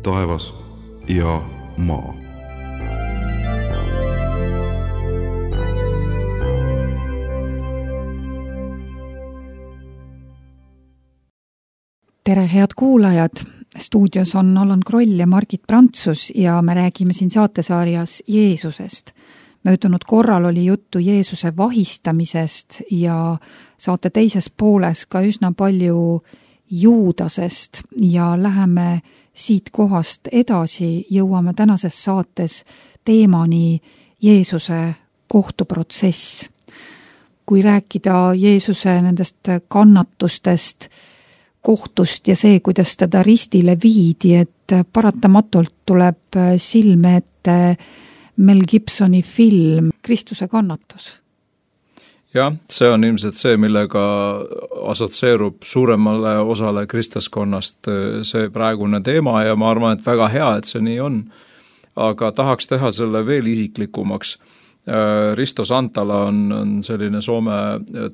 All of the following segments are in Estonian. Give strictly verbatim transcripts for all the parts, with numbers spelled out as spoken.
taevas ja maa. Tere, head kuulajad! Stuudios on Allan Kroll ja Margit Prantsus ja me räägime siin saatesarjas Jeesusest. Möödunud korral oli juttu Jeesuse vahistamisest ja saate teises pooles ka üsna palju Juudasest ja läheme siit kohast edasi, jõuame tänases saates teemani Jeesuse kohtuprotsess. Kui rääkida Jeesuse nendest kannatustest, kohtust ja see, kuidas teda ristile viidi, et paratamatult tuleb silme ette Mel Gibsoni film Kristuse kannatus. Jah, see on ilmselt see, millega asotseerub suuremale osale kristlaskonnast see praegune teema ja ma arvan, et väga hea, et see nii on. Aga tahaks teha selle veel isiklikumaks. Risto Santala on, on selline Soome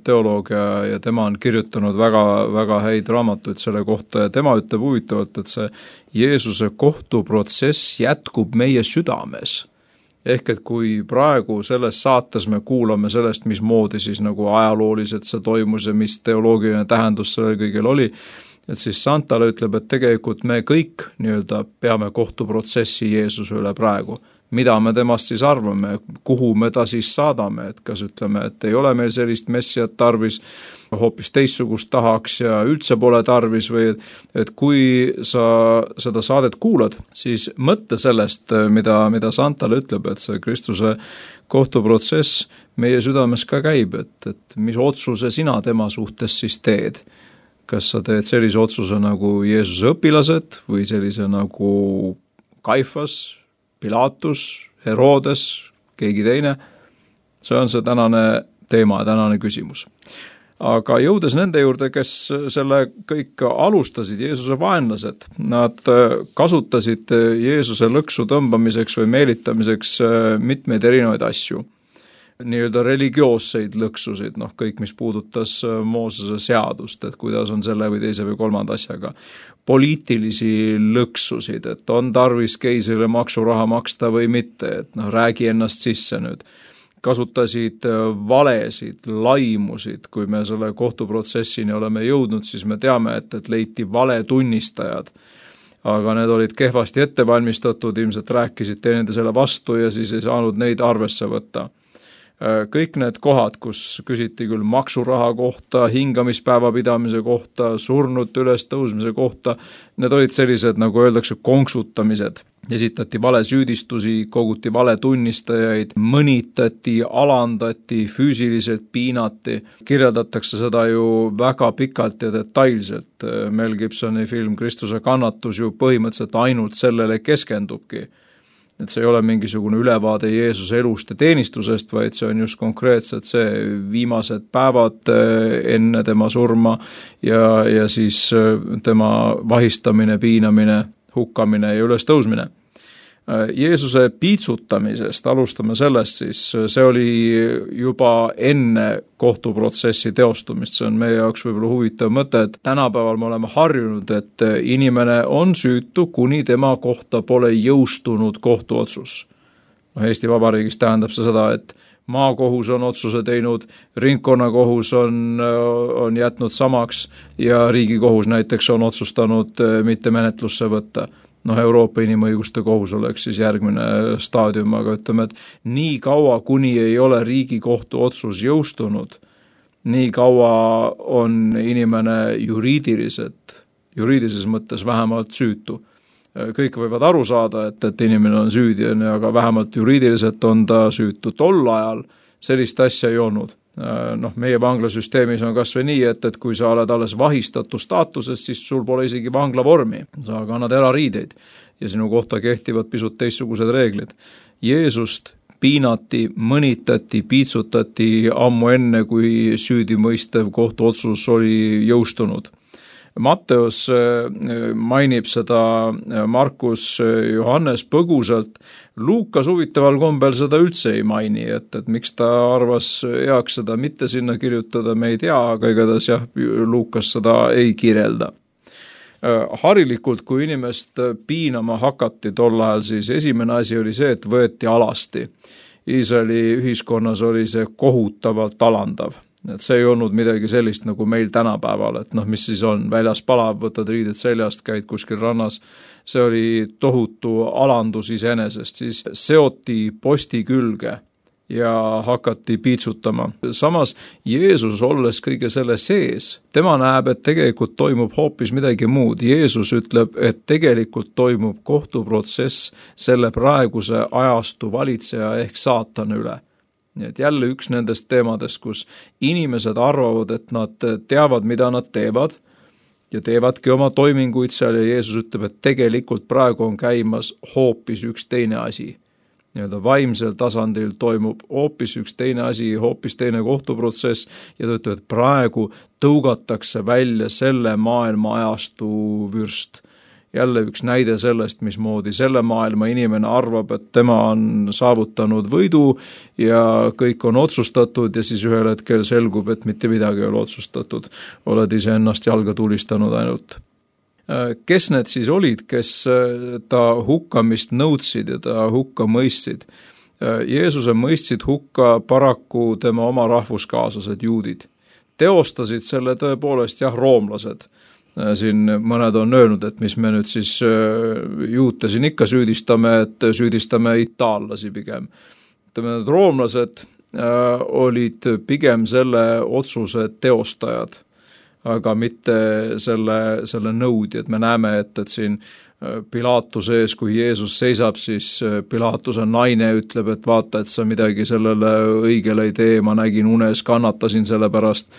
teoloog ja, ja tema on kirjutanud väga, väga häid raamatuid selle kohta ja tema ütleb huvitavalt, et see Jeesuse kohtuprotsess jätkub meie südames. Ehk et kui praegu selles saates me kuulame sellest, mismoodi siis nagu ajalooliselt see toimus ja mis teoloogiline tähendus sellel kõigil oli, et siis Santala ütleb, et tegelikult me kõik nii-öelda peame kohtuprotsessi Jeesuse üle praegu. Mida me temast siis arvame, kuhu me ta siis saadame, et kas ütleme, et ei ole meil sellist messiat tarvis, hoopis teissugust tahaks ja üldse pole tarvis või et kui sa seda saadet kuulad, siis mõtle sellest, mida, mida Santal ütleb, et see Kristuse kohtuprotsess meie südames ka käib, et, et mis otsuse sina tema suhtes siis teed. Kas sa teed sellise otsuse nagu Jeesuse õpilased või sellise nagu Kaifas, Pilatus, Herodes, keegi teine. See on see tänane teema, tänane küsimus. Aga jõudes nende juurde, kes selle kõik alustasid, Jeesuse vaenlased, nad kasutasid Jeesuse lõksu tõmbamiseks või meelitamiseks mitmeid erinevaid asju. Nii-öelda religioosseid lõksusid, noh kõik, mis puudutas Moosese seadust, et kuidas on selle või teise või kolmanda asjaga. Poliitilisi lõksusid, et on tarvis keisrile maksuraha maksta või mitte, et noh, räägi ennast sisse nüüd. Kasutasid valesid, laimusid, kui me selle kohtuprotsessini oleme jõudnud, siis me teame, et, et leiti vale tunnistajad. Aga need olid kehvasti ettevalmistatud, ilmselt rääkisid teeninde selle vastu ja siis ei saanud neid arvesse võtta. Kõik need kohad, kus küsiti küll maksuraha kohta, hingamispäeva pidamise kohta, surnud üles tõusmise kohta, need olid sellised, nagu öeldakse, konksutamised. Esitati vale süüdistusi, koguti vale tunnistajaid, mõnitati, alandati, füüsiliselt piinati. Kirjeldatakse seda ju väga pikalt ja detailselt. Mel Gibsoni film Kristuse kannatus ju põhimõtteliselt ainult sellele keskendubki. Et see ei ole mingisugune ülevaade Jeesuse elust ja teenistusest, vaid see on just konkreetselt see viimased päevad enne tema surma ja, ja siis tema vahistamine, piinamine, hukkamine ja üles tõusmine. Jeesuse piitsutamisest, alustame sellest siis, see oli juba enne kohtuprotsessi teostumist, see on meie jaoks võib-olla huvitav mõte, et tänapäeval me oleme harjunud, et inimene on süütu, kuni tema kohta pole jõustunud kohtuotsus. Eesti Vabariigis tähendab see seda, et maakohus on otsuse teinud, ringkonnakohus on, on jätnud samaks ja riigikohus näiteks on otsustanud mitte menetlusse võtta. Noh, Euroopa inimõiguste kohus oleks siis järgmine staadium, aga ütleme, et nii kaua, kuni ei ole riigikohtu otsus jõustunud, nii kaua on inimene juriidiliselt, juriidilises mõttes vähemalt süütu. Kõik võivad aru saada, et, et inimene on süüdi, aga vähemalt juriidiliselt on ta süütu. Tol ajal sellist asja ei olnud. Noh, meie vanglasüsteemis on kas või nii, et, et kui sa oled alles vahistatud staatuses, siis sul pole isegi vangla vormi. Sa kannad erariideid ja sinu kohta kehtivad pisut teistsugused reeglid. Jeesust piinati, mõnitati, piitsutati ammu enne, kui süüdimõistev kohtuotsus oli jõustunud. Matteus mainib seda, Markus, Johannes põgusalt, Luukas huvitaval kombel seda üldse ei maini, et, et miks ta arvas heaks seda mitte sinna kirjutada, me ei tea, aga igatahes jah, Luukas seda ei kirjelda. Harilikult, kui inimest piinama hakati tol ajal, siis esimene asi oli see, et võeti alasti. Iisraeli ühiskonnas oli see kohutavalt alandav. Et see ei olnud midagi sellist nagu meil tänapäeval, et noh, mis siis on, väljas palav, võtad riided seljast, käid kuskil rannas. See oli tohutu alandus iseenesest, siis seoti posti külge ja hakati piitsutama. Samas Jeesus, olles kõige selle sees, tema näeb, et tegelikult toimub hoopis midagi muud. Jeesus ütleb, et tegelikult toimub kohtuprotsess selle praeguse ajastu valitseja ehk saatana üle. Nii et jälle üks nendest teemadest, kus inimesed arvavad, et nad teavad, mida nad teevad ja teevadki oma toiminguid seal ja Jeesus ütleb, et tegelikult praegu on käimas hoopis üks teine asi. Nii-öelda vaimsel tasandil toimub hoopis üks teine asi, hoopis teine kohtuprotsess ja ta ütleb, et praegu tõugatakse välja selle maailma ajastu vürst. Jälle üks näide sellest, mismoodi selle maailma inimene arvab, et tema on saavutanud võidu ja kõik on otsustatud ja siis ühel hetkel selgub, et mitte midagi ei ole otsustatud. Oled ise ennast jalga tulistanud ainult. Kes need siis olid, kes ta hukkamist nõudsid ja ta hukka mõistsid? Jeesuse mõistsid hukka paraku tema oma rahvuskaaslased juudid. Teostasid selle tõepoolest jah roomlased. Siin mõned on öelnud, et mis me nüüd siis juute siin ikka süüdistame, et süüdistame itaallasi pigem. Need roomlased olid pigem selle otsuse teostajad, aga mitte selle, selle nõudi, et me näeme, et, et siin Pilaatuse ees, kui Jeesus seisab, siis Pilaatuse naine ütleb, et vaata, et sa midagi sellele õigele ei tee, ma nägin unes, kannatasin selle pärast,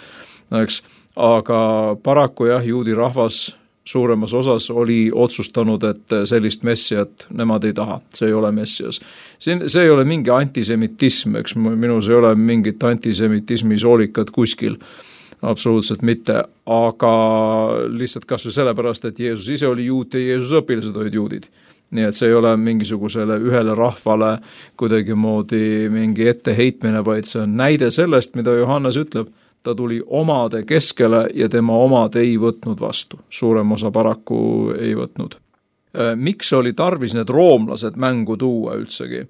eks. Aga paraku jah, juudi rahvas suuremas osas oli otsustanud, et sellist messiat nemad ei taha, see ei ole messias. Siin, see ei ole mingi antisemitism, eks minus ei ole mingit antisemitismi soolikat kuskil, absoluutselt mitte, aga lihtsalt kas või sellepärast, et Jeesus ise oli juut ja Jeesuse õpilased olid juudid. Nii et see ei ole mingisugusele ühele rahvale kuidagi moodi mingi etteheitmine, vaid see on näide sellest, mida Johannes ütleb. Ta tuli omade keskele ja tema omad ei võtnud vastu. Suurem osa paraku ei võtnud. Miks oli tarvis need roomlased mängu tuua üldsegi?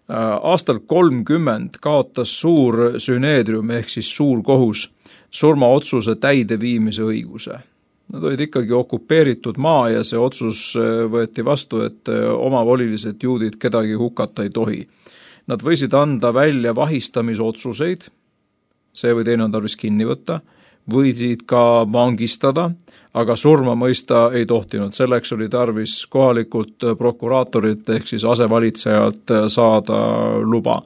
Aastal kolmkümmend kaotas suur süneedrium ehk siis suur kohus surmaotsuse täideviimise õiguse. Nad olid ikkagi okupeeritud maa ja see otsus võeti vastu, et omavolilised juudid kedagi hukata ei tohi. Nad võisid anda välja vahistamisotsuseid, see või teine on tarvis kinni võtta, võisid ka vangistada, aga surma mõista ei tohtinud. Selleks oli tarvis kohalikult prokuraatorit ehk siis asevalitsejalt saada luba.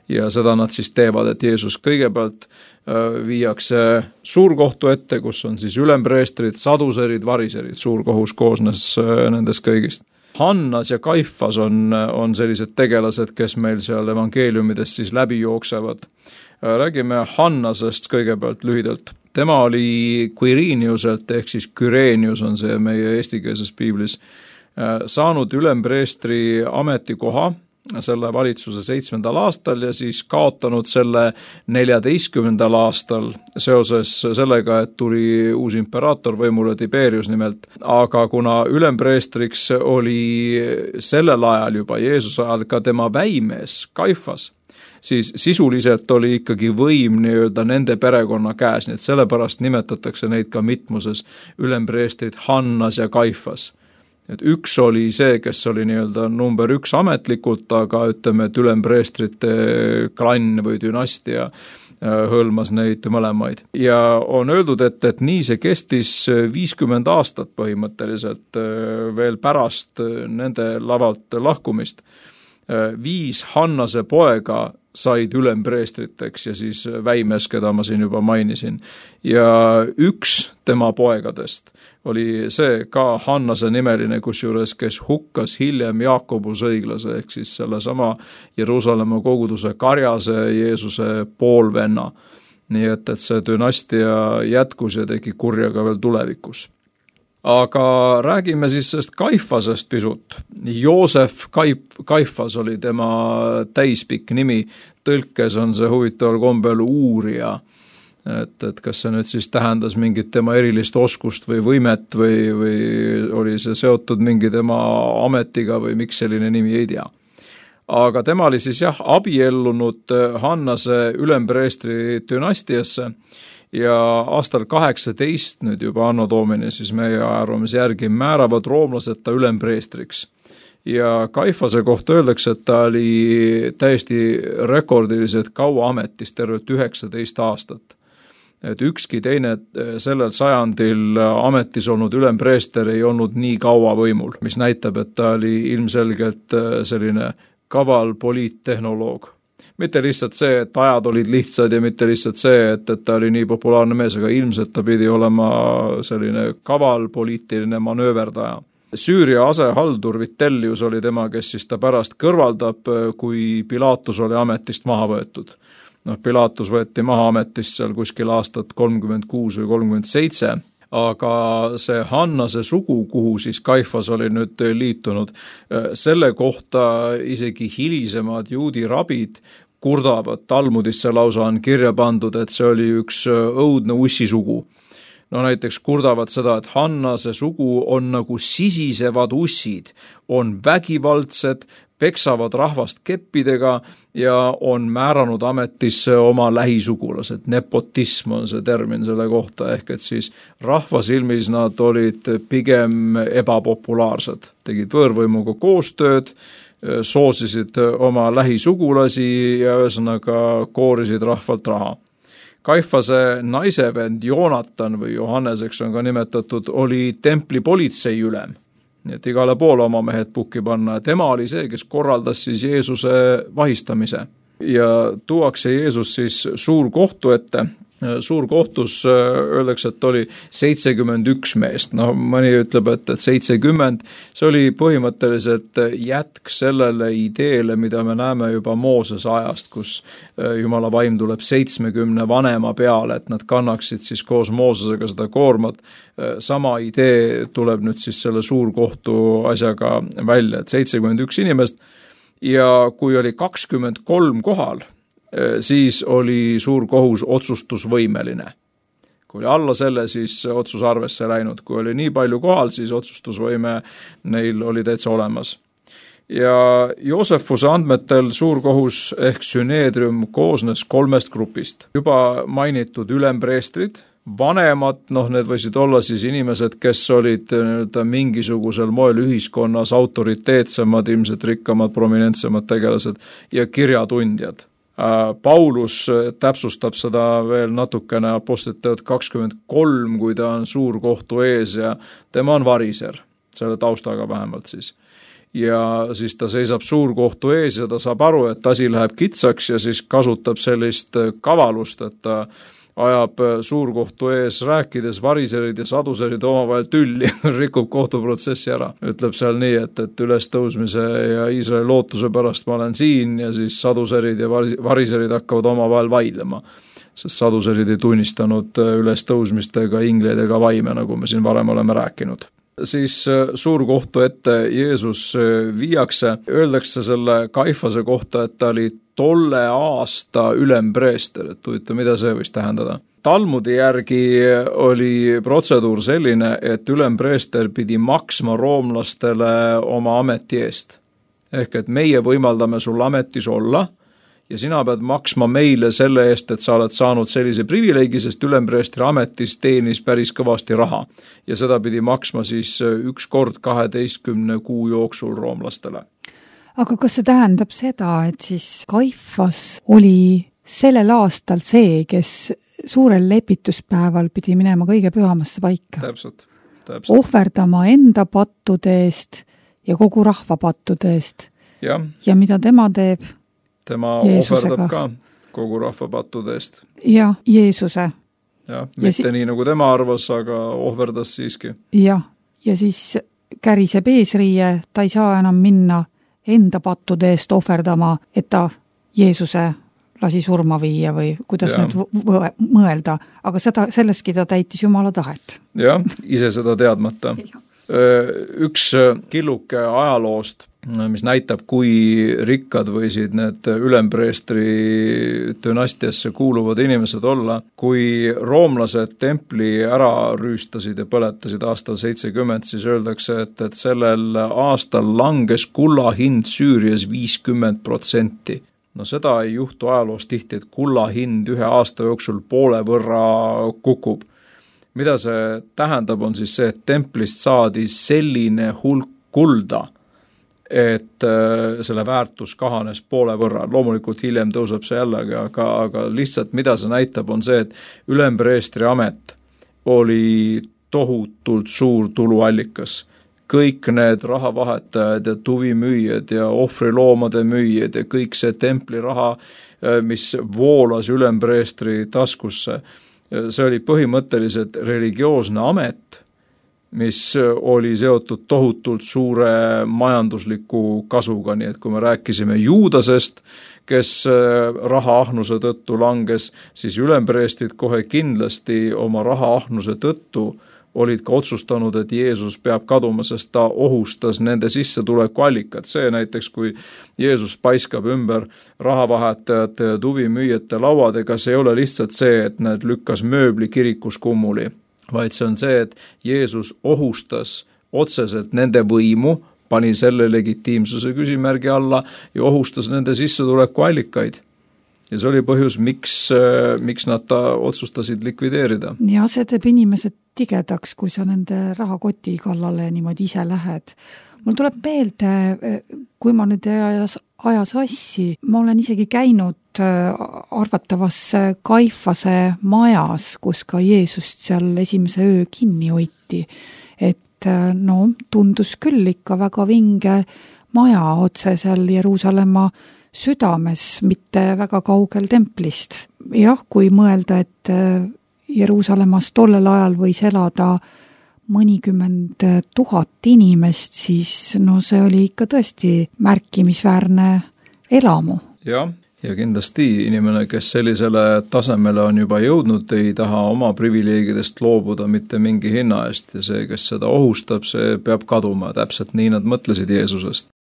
Ja seda nad siis teevad, et Jeesus kõigepealt viiakse suurkohtu ette, kus on siis ülempreestrid, saduserid, variserid. Suurkohus koosnes nendest kõigist. Hannas ja Kaifas on, on sellised tegelased, kes meil seal evangeeliumidest siis läbi jooksevad. Räägime Hannasest kõigepealt lühidalt. Tema oli Quiriniuselt ehk siis Kyrenius on see meie eestikeelses piiblis saanud ülempreestri ametikoha selle valitsuse seitsmendal aastal ja siis kaotanud selle neljateistkümnendal aastal seoses sellega, et tuli uus imperaator võimule Tiberius nimelt. Aga kuna ülempreestriks oli sellel ajal juba Jeesuse ajal ka tema väimees Kaifas, siis sisuliselt oli ikkagi võim nii-öelda nende perekonna käes, nii et sellepärast nimetatakse neid ka mitmuses ülempreestrid Hannas ja Kaifas. Et üks oli see, kes oli nii-öelda number üks ametlikult, aga ütleme, et ülempreestrite klann või dünastia hõlmas neid mõlemaid. Ja on öeldud, et, et nii see kestis viiskümmend aastat põhimõtteliselt veel pärast nende lavalt lahkumist. Viis Hannase poega said ülempreestriteks ja siis väimes, keda ma siin juba mainisin. Ja üks tema poegadest oli see ka Hannase nimeline, kusjuures, kes hukkas hiljem Jaakobus õiglase, ehk siis selle sama Jeruusalemma koguduse karjase Jeesuse poolvenna. Nii et, et see dünastia jätkus ja tegi kurja ka veel tulevikus. Aga räägime siis sellest Kaifasest pisut. Joosef Kaif, Kaifas oli tema täispikk nimi, tõlkes on see huvitaval kombel uurija. et, et kas see nüüd siis tähendas mingit tema erilist oskust või võimet või, või oli see seotud mingi tema ametiga või miks selline nimi, ei tea. Aga tema oli siis jah, abiellunud Hannase ülempreestri dünastiasse ja aastal kaheksateist, nüüd juba anno domini, siis meie arvamise järgi määravad roomlased ta ülempreestriks. Ja Kaifase kohta öeldakse, et ta oli täiesti rekordiliselt kaua ametis, tervelt üheksateist aastat. Et ükski teine sellel sajandil ametis olnud ülempreester ei olnud nii kaua võimul, mis näitab, et ta oli ilmselgelt selline kaval poliittehnoloog. Mitte lihtsalt see, et ajad olid lihtsad ja mitte lihtsalt see, et, et ta oli nii populaarne mees, aga ilmselt ta pidi olema selline kaval poliitiline manööverdaja. Süüria asehaldur Vitellius oli tema, kes siis ta pärast kõrvaldab, kui Pilatus oli ametist maha võetud. Noh, Pilatus võeti maha ametist seal kuskil aastat kolmkümmend kuus või kolmkümmend seitse, aga see Hannase sugu, kuhu siis Kaifas oli nüüd liitunud, selle kohta isegi hilisemad juudi rabid kurdavad, Talmudisse lausa on kirja pandud, et see oli üks õudne ussisugu. No näiteks kurdavad seda, et Hannase sugu on nagu sisisevad ussid, on vägivaldsed, peksavad rahvast keppidega ja on määranud ametisse oma lähisugulased. Nepotism on see termin selle kohta, ehk et siis rahva silmis nad olid pigem ebapopulaarsed. Tegid võõrvõimuga koostööd, soosisid oma lähisugulasi ja ühesõnaga koorisid rahvalt raha. Kaifase naisevend Joonatan või Johanneseks on ka nimetatud, oli templi politsei ülem. Nii et igale poole oma mehed pukki panna. Tema oli see, kes korraldas siis Jeesuse vahistamise. Ja tuuakse Jeesus siis suur kohtu ette. Suur kohtus öeldakse, et oli seitsekümmend üks meest. No mõni ütleb, et, et seitsekümmend. See oli põhimõtteliselt jätk sellele ideele, mida me näeme juba Moosese ajast, kus Jumala vaim tuleb seitsmekümne vanema peale, et nad kannaksid siis koos Moosesega seda koormat. Sama idee tuleb nüüd siis selle suurkohtu asjaga välja, et seitsekümmend üks inimest ja kui oli kakskümmend kolm kohal, siis oli suur kohus otsustusvõimeline. Kui oli alla selle, siis otsus arvesse läinud. Kui oli nii palju kohal, siis otsustusvõime neil oli täitsa olemas. Ja Joosefuse andmetel suur kohus ehk süneedrium koosnes kolmest grupist. Juba mainitud ülempreestrid, vanemad, noh need võisid olla siis inimesed, kes olid mingisugusel moel ühiskonnas autoriteetsemad, ilmselt rikkamad, prominentsemad tegelased ja kirjatundjad. Paulus täpsustab seda veel natukene Apostlite kakskümmend kolm, kui ta on suur kohtu ees ja tema on variser, selle taustaga vähemalt siis. Ja siis ta seisab suur kohtu ees ja ta saab aru, et asi läheb kitsaks ja siis kasutab sellist kavalust, et ta ajab suurkohtu ees rääkides variserid ja saduserid omavahel tülli, rikub kohtuprotsessi ära. Ütleb seal nii, et, et ülestõusmise ja Iisraeli lootuse pärast ma olen siin ja siis saduserid ja variserid hakkavad omavahel vaidlema. Sest saduserid ei tunnistanud ülestõusmist ega ingleid ega vaime, nagu me siin varem oleme rääkinud. Siis suurkohtu ette Jeesus viiakse, öeldakse selle Kaifase kohta, et ta oli tolle aasta ülempreester, et huvitav, mida see võis tähendada. Talmudi järgi oli protseduur selline, et ülempreester pidi maksma roomlastele oma ameti eest. Ehk et meie võimaldame sul ametis olla ja sina pead maksma meile selle eest, et sa oled saanud sellise privileegi, sest ülempreestri ametis teenis päris kõvasti raha. Ja seda pidi maksma siis üks kord kaheteistkümne kuu jooksul roomlastele. Aga kas see tähendab seda, et siis Kaifas oli sellel aastal see, kes suurel lepituspäeval pidi minema kõige pühamasse paika? Täpselt, täpselt. Ohverdama enda pattude eest ja kogu rahva pattude eest. Ja, ja mida tema teeb? Tema Jeesusega. ohverdab ka kogu rahva pattude eest. Ja, Jeesuse. Ja, mitte ja si- nii nagu tema arvas, aga ohverdas siiski. Ja, ja siis käriseb eesriie, ta ei saa enam minna enda pattude eest ohverdama, et ta Jeesuse lasi surma viia või kuidas ja. nüüd mõelda, aga seda, selleski ta täitis Jumala tahet. Ja, ise seda teadmata. Üks killuke ajaloost mis näitab, kui rikkad võisid need ülempreestri dünastiasse kuuluvad inimesed olla, kui roomlased templi ära rüüstasid ja põletasid aastal seitsekümmend, siis öeldakse, et, et sellel aastal langes kulla hind Süürias viiskümmend protsenti. No seda ei juhtu ajaloos tihti, et kulla hind ühe aasta jooksul poole võrra kukub. Mida see tähendab, on siis see, et templist saadi selline hulk kulda, et selle väärtus kahanes poole võrra. Loomulikult hiljem tõuseb see jällegi, aga, aga lihtsalt mida see näitab, on see, et ülempreestri amet oli tohutult suur tuluallikas. Kõik need rahavahetajad ja tuvimüüjad ja ohvriloomade müüjad ja kõik see templi raha, mis voolas ülempreestri taskusse, see oli põhimõtteliselt religioosne amet, mis oli seotud tohutult suure majandusliku kasuga, nii et kui me rääkisime Juudasest, kes rahaahnuse tõttu langes, siis ülempreestid kohe kindlasti oma rahaahnuse tõttu olid ka otsustanud, et Jeesus peab kaduma, sest ta ohustas nende sissetuleku allikat. See näiteks, kui Jeesus paiskab ümber rahavahetajate ja tuvimüüjate lauadega, see ei ole lihtsalt see, et need lükkas mööbli kirikus kummuli, vaid see on see, et Jeesus ohustas otseselt nende võimu, pani selle legitiimsuse küsimärgi alla ja ohustas nende sissetuleku allikaid. Ja see oli põhjus, miks, miks nad ta otsustasid likvideerida. Ja see teeb inimesed tigedaks, kui sa nende rahakoti kallale niimoodi ise lähed. Mul tuleb meelde, kui ma nüüd ajas, ajas assi, ma olen isegi käinud arvatavas Kaifase majas, kus ka Jeesust seal esimese öö kinni hoiti. Et no, tundus küll ikka väga vinge maja otse seal Jeruusalemma südames, mitte väga kaugel templist. Jah, kui mõelda, et Jeruusalemmas tollel ajal võis elada mõnikümmend tuhat inimest, siis no see oli ikka tõesti märkimisväärne elamu. Jah, ja kindlasti inimene, kes sellisele tasemele on juba jõudnud, ei taha oma privileegidest loobuda mitte mingi hinna eest ja see, kes seda ohustab, see peab kaduma. Täpselt nii nad mõtlesid Jeesusest.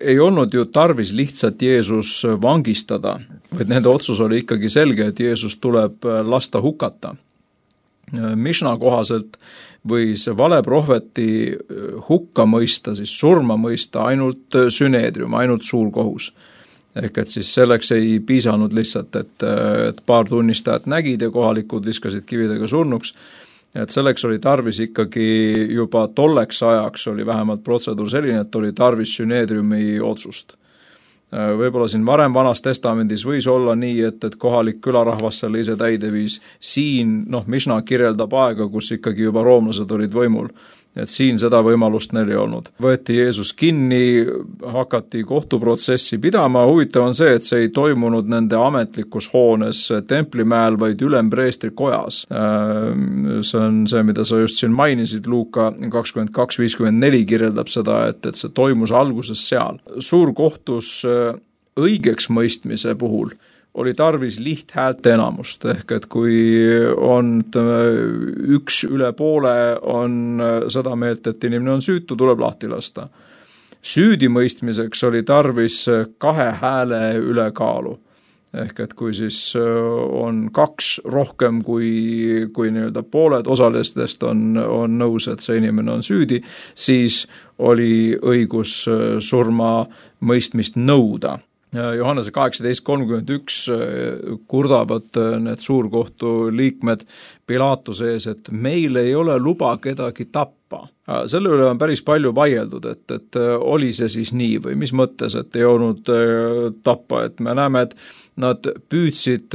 Ei olnud ju tarvis lihtsalt Jeesus vangistada, vaid nende otsus oli ikkagi selge, et Jeesus tuleb lasta hukata. Mishna kohaselt võis valeprohveti hukka mõista, siis surma mõista ainult süneedrium, ainult suur kohus. Ehk et siis selleks ei piisanud lihtsalt, et, et paar tunnistajat nägid ja kohalikud viskasid kividega surnuks. Et selleks oli tarvis ikkagi juba tolleks ajaks oli vähemalt protseduur selline, et oli tarvis süneedriumi otsust. Võib-olla siin varem vanas testamendis võis olla nii, et, et kohalik külarahvas selle ise täide viis. Siin, noh, Mishna kirjeldab aega, kus ikkagi juba roomlased olid võimul. Et siin seda võimalust neil ei olnud. Võeti Jeesus kinni, hakati kohtuprotsessi pidama. Huvitav on see, et see ei toimunud nende ametlikus hoones templimäel, vaid ülempreestri kojas. See on see, mida sa just siin mainisid, Luuka kakskümmend kaks viiskümmend neli kirjeldab seda, et, et see toimus alguses seal. Suur kohtus õigeks mõistmise puhul oli tarvis lihthäälte enamust, ehk et kui on üks üle poole on seda meelt, et inimene on süütu, tuleb lahti lasta. Süüdimõistmiseks oli tarvis kahe hääle ülekaalu, ehk et kui siis on kaks rohkem kui, kui nii-öelda pooled osalistest on, on nõus, et see inimene on süüdi, siis oli õigus surma mõistmist nõuda. Johannese kaheksateist kolmkümmend üks kurdavad need suurkohtu liikmed Pilaatuse ees, et meil ei ole luba kedagi tappa. Selle üle on päris palju vaieldud, et, et oli see siis nii või mis mõttes, et ei olnud tappa, et me näeme, et nad püüdsid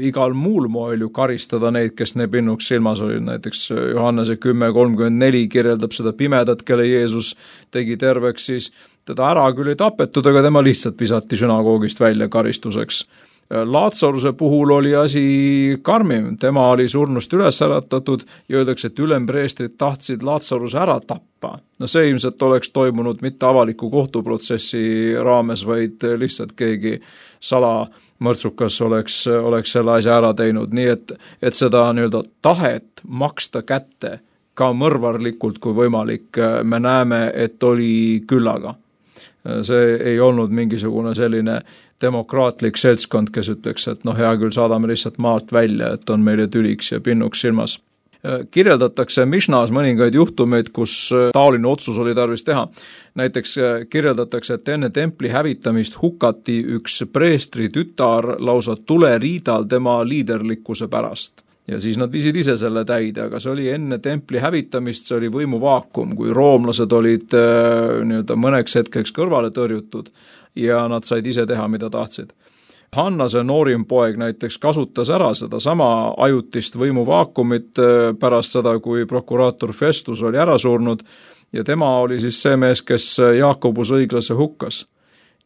igal muul moel ju karistada neid, kes ne pinnuks silmas olid. Näiteks Johannese kümme kolmkümmend neli kirjeldab seda pimedat, kelle Jeesus tegi terveks, siis teda ära küll ei tapetud, aga tema lihtsalt visati sünagoogist välja karistuseks. Laatsaruse puhul oli asi karmim, tema oli surnust üles äratatud ja öeldakse, et ülempreestrid tahtsid Laatsaruse ära tappa. No see ilmselt oleks toimunud mitte avaliku kohtuprotsessi raames, vaid lihtsalt keegi salamõrtsukas oleks, oleks selle asja ära teinud, nii et, et seda nii-öelda tahet maksta kätte ka mõrvarlikult kui võimalik, me näeme, et oli küllaga. See ei olnud mingisugune selline demokraatlik seltskond, kes ütleks, et noh, hea küll, saadame lihtsalt maalt välja, et on meile tüliks ja pinnuks silmas. Kirjeldatakse Mišnas mõningaid juhtumeid, kus taoline otsus oli tarvis teha. Näiteks kirjeldatakse, et enne templi hävitamist hukati üks preestri tütar lausa tuleriidal tema liiderlikkuse pärast. Ja siis nad viisid ise selle täide, aga see oli enne templi hävitamist, see oli võimuvaakum, kui roomlased olid nii-öelda mõneks hetkeks kõrvale tõrjutud ja nad said ise teha, mida tahtsid. Hannase noorim poeg näiteks kasutas ära seda sama ajutist võimuvaakumit pärast seda, kui prokuraator Festus oli ära surnud ja tema oli siis see mees, kes Jaakobus õiglase hukkas.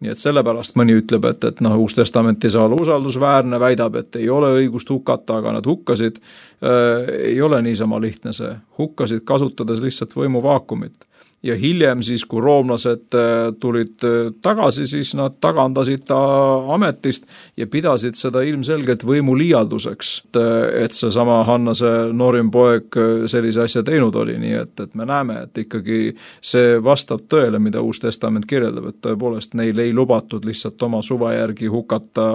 Nii et sellepärast mõni ütleb, et, et noh, Uus Testament ei saa olla usaldusväärne, väidab, et ei ole õigust hukata, aga nad hukkasid. Äh, ei ole niisama lihtne see. Hukkasid kasutades lihtsalt võimuvaakumit. Ja hiljem siis, kui roomlased tulid tagasi, siis nad tagandasid ta ametist ja pidasid seda ilmselgelt võimuliialduseks, et see sama Hannase noorim poeg sellise asja teinud oli, nii et, et me näeme, et ikkagi see vastab tõele, mida Uus Testament kirjeldab, et tõepoolest neil ei lubatud lihtsalt oma suva järgi hukata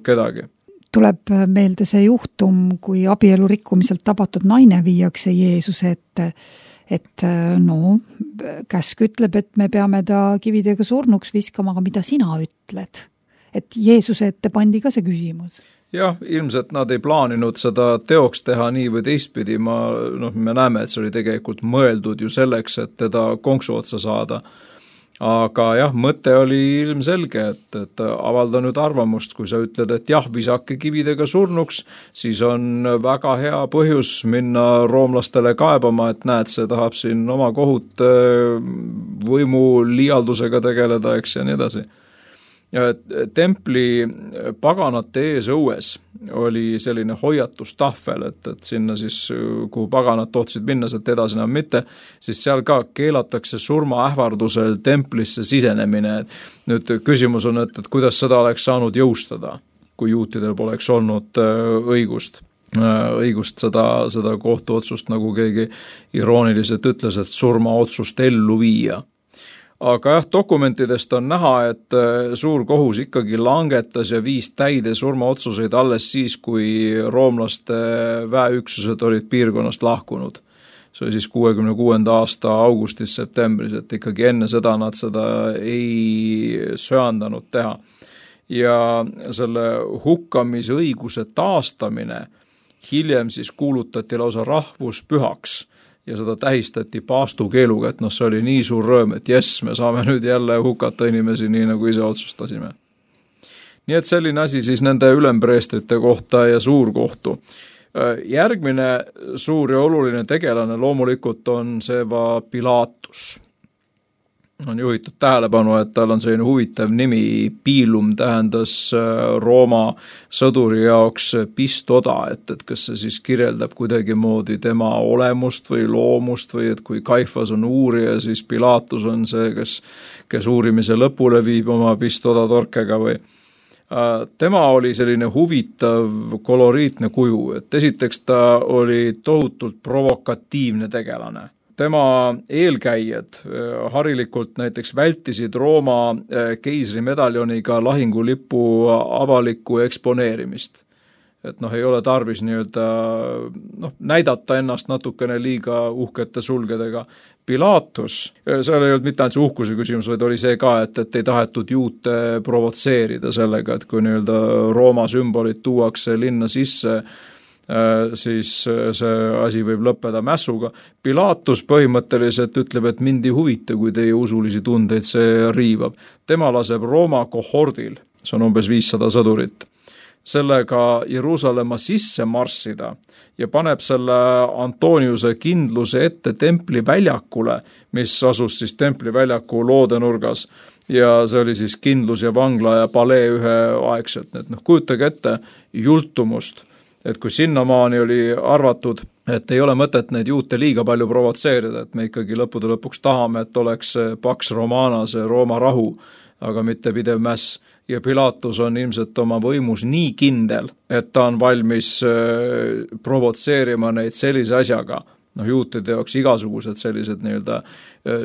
kedagi. Tuleb meelde see juhtum, kui abielu rikkumiselt tabatud naine viiakse Jeesuse ette, et no, käsk ütleb, et me peame ta kividega surnuks viskama, aga mida sina ütled? Et Jeesuse ette pandi ka see küsimus. Jah, ilmselt nad ei plaaninud seda teoks teha nii või teistpidi. Ma, noh, me näeme, et see oli tegelikult mõeldud ju selleks, et teda konksu otsa saada. Aga jah, mõte oli ilmselge, et, et avalda nüüd arvamust, kui sa ütled, et jah, visake kividega surnuks, siis on väga hea põhjus minna roomlastele kaebama, et näed, see tahab siin oma kohut võimu liialdusega tegeleda, eks ja nii edasi. Ja templi paganate ees õues oli selline hoiatustahvel, et, et sinna siis, kuhu paganad tohtsid minna, sealt edasi enam mitte, siis seal ka keelatakse surmaähvardusel templisse sisenemine. Nüüd küsimus on, et, et kuidas seda oleks saanud jõustada, kui juutidel poleks olnud õigust. õigust seda, seda kohtuotsust, nagu keegi irooniliselt ütles, et surmaotsust ellu viia. Aga jah, dokumentidest on näha, et suur kohus ikkagi langetas ja viis täide surmaotsuseid alles siis, kui roomlaste väeüksused olid piirkonnast lahkunud. See oli siis kuuekümne kuuenda aasta augustis-septembris, et ikkagi enne seda nad seda ei söandanud teha. Ja selle hukkamisõiguse taastamine hiljem siis kuulutati lausa rahvuspühaks. Ja seda tähistati paastukeeluga, et noh, see oli nii suur rõõm, et jess, me saame nüüd jälle hukata inimesi nii, nagu ise otsustasime. Nii et selline asi siis nende ülempreestrite kohta ja suurkohtu. Järgmine suur ja oluline tegelane loomulikult on see va Pilatus. On juhitud tähelepanu, et tal on selline huvitav nimi, Pilum tähendas Rooma sõduri jaoks pistoda, et, et kas see siis kirjeldab kuidagi moodi tema olemust või loomust või et kui Kaifas on uurija, siis Pilatus on see, kes, kes uurimise lõpule viib oma pistoda torkega või. Tema oli selline huvitav koloriitne kuju, et esiteks ta oli tohutult provokatiivne tegelane. Tema eelkäijad harilikult näiteks vältisid Rooma keisrimedaljoniga lahingulipu avalikku eksponeerimist. Et noh, ei ole tarvis nii-öelda noh, näidata ennast natukene liiga uhkete sulgedega. Pilatus, seal ei olnud mitte ainult see uhkuse küsimus, vaid oli see ka, et, et ei tahetud juute provotseerida sellega, et kui nii-öelda Rooma sümbolid tuuakse linna sisse, siis see asi võib lõppeda mässuga. Pilatus põhimõtteliselt ütleb, et mind ei huvita, kui teie usulisi tundeid see riivab. Tema laseb Rooma kohordil, see on umbes viissada sõdurit, sellega Jeruusalemma sisse marssida ja paneb selle Antoniuse kindluse ette templi väljakule, mis asus siis templi väljaku loodenurgas ja see oli siis kindlus ja vangla ja palee üheaegselt, et noh, kujutage ette jultumust, et kui sinnamaani oli arvatud, et ei ole mõtet neid juute liiga palju provotseerida, et me ikkagi lõppude lõpuks tahame, et oleks Pax Romana, see Rooma rahu, aga mitte pidev mäss. Ja Pilatus on ilmselt oma võimus nii kindel, et ta on valmis provotseerima neid sellise asjaga. Noh, juutide jaoks igasugused sellised nii-öelda